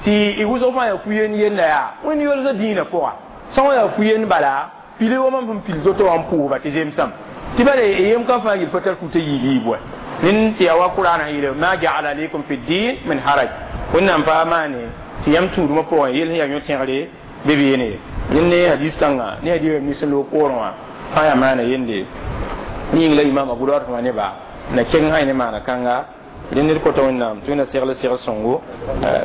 tɩ y wʋsg fãa yaa fu-yen yenda yaa wẽnd yolsã dĩinã pʋga sã wã yaa fu-yen bala pili wa mam sẽn pil zoto wã n pʋʋsba tɩ zemsam tɩ bala y yem kam fãa gil pa tar futa yiib yiib wa nin tɩ yaa wa qur'ana yeele ma ja'ala alaykum fi din min haraj wẽnnaam pa maane tɩ yãmb tũudmã pʋgẽ yel sẽn yaa yõ-tẽgre be beene yẽnd ne hadis kãnga ne hadis rãmb sẽn loog poorẽ wã fãa yaa maana yende yĩng la imam abu dawud fãa neba na keng sã ne maana kãnga dẽnd ned kota wẽnnaam tɩ wẽnna segl segl sõngo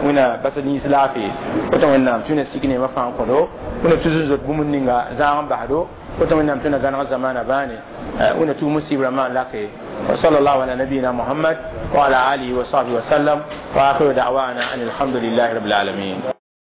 wẽnna bas nins laafɩ kota wẽnnaam tɩ wẽnna sik neemã fãa n kõdo wẽnna tus n zot bũmb ninga zãag n basdo kota wẽnnaam tɩ wẽnna gãneg zamaana bãane wẽnna tus musib rãmbã n lake وصلى الله على نبينا محمد وعلى آله وصحبه وسلم وآخر دعوانا أن الحمد لله رب العالمين.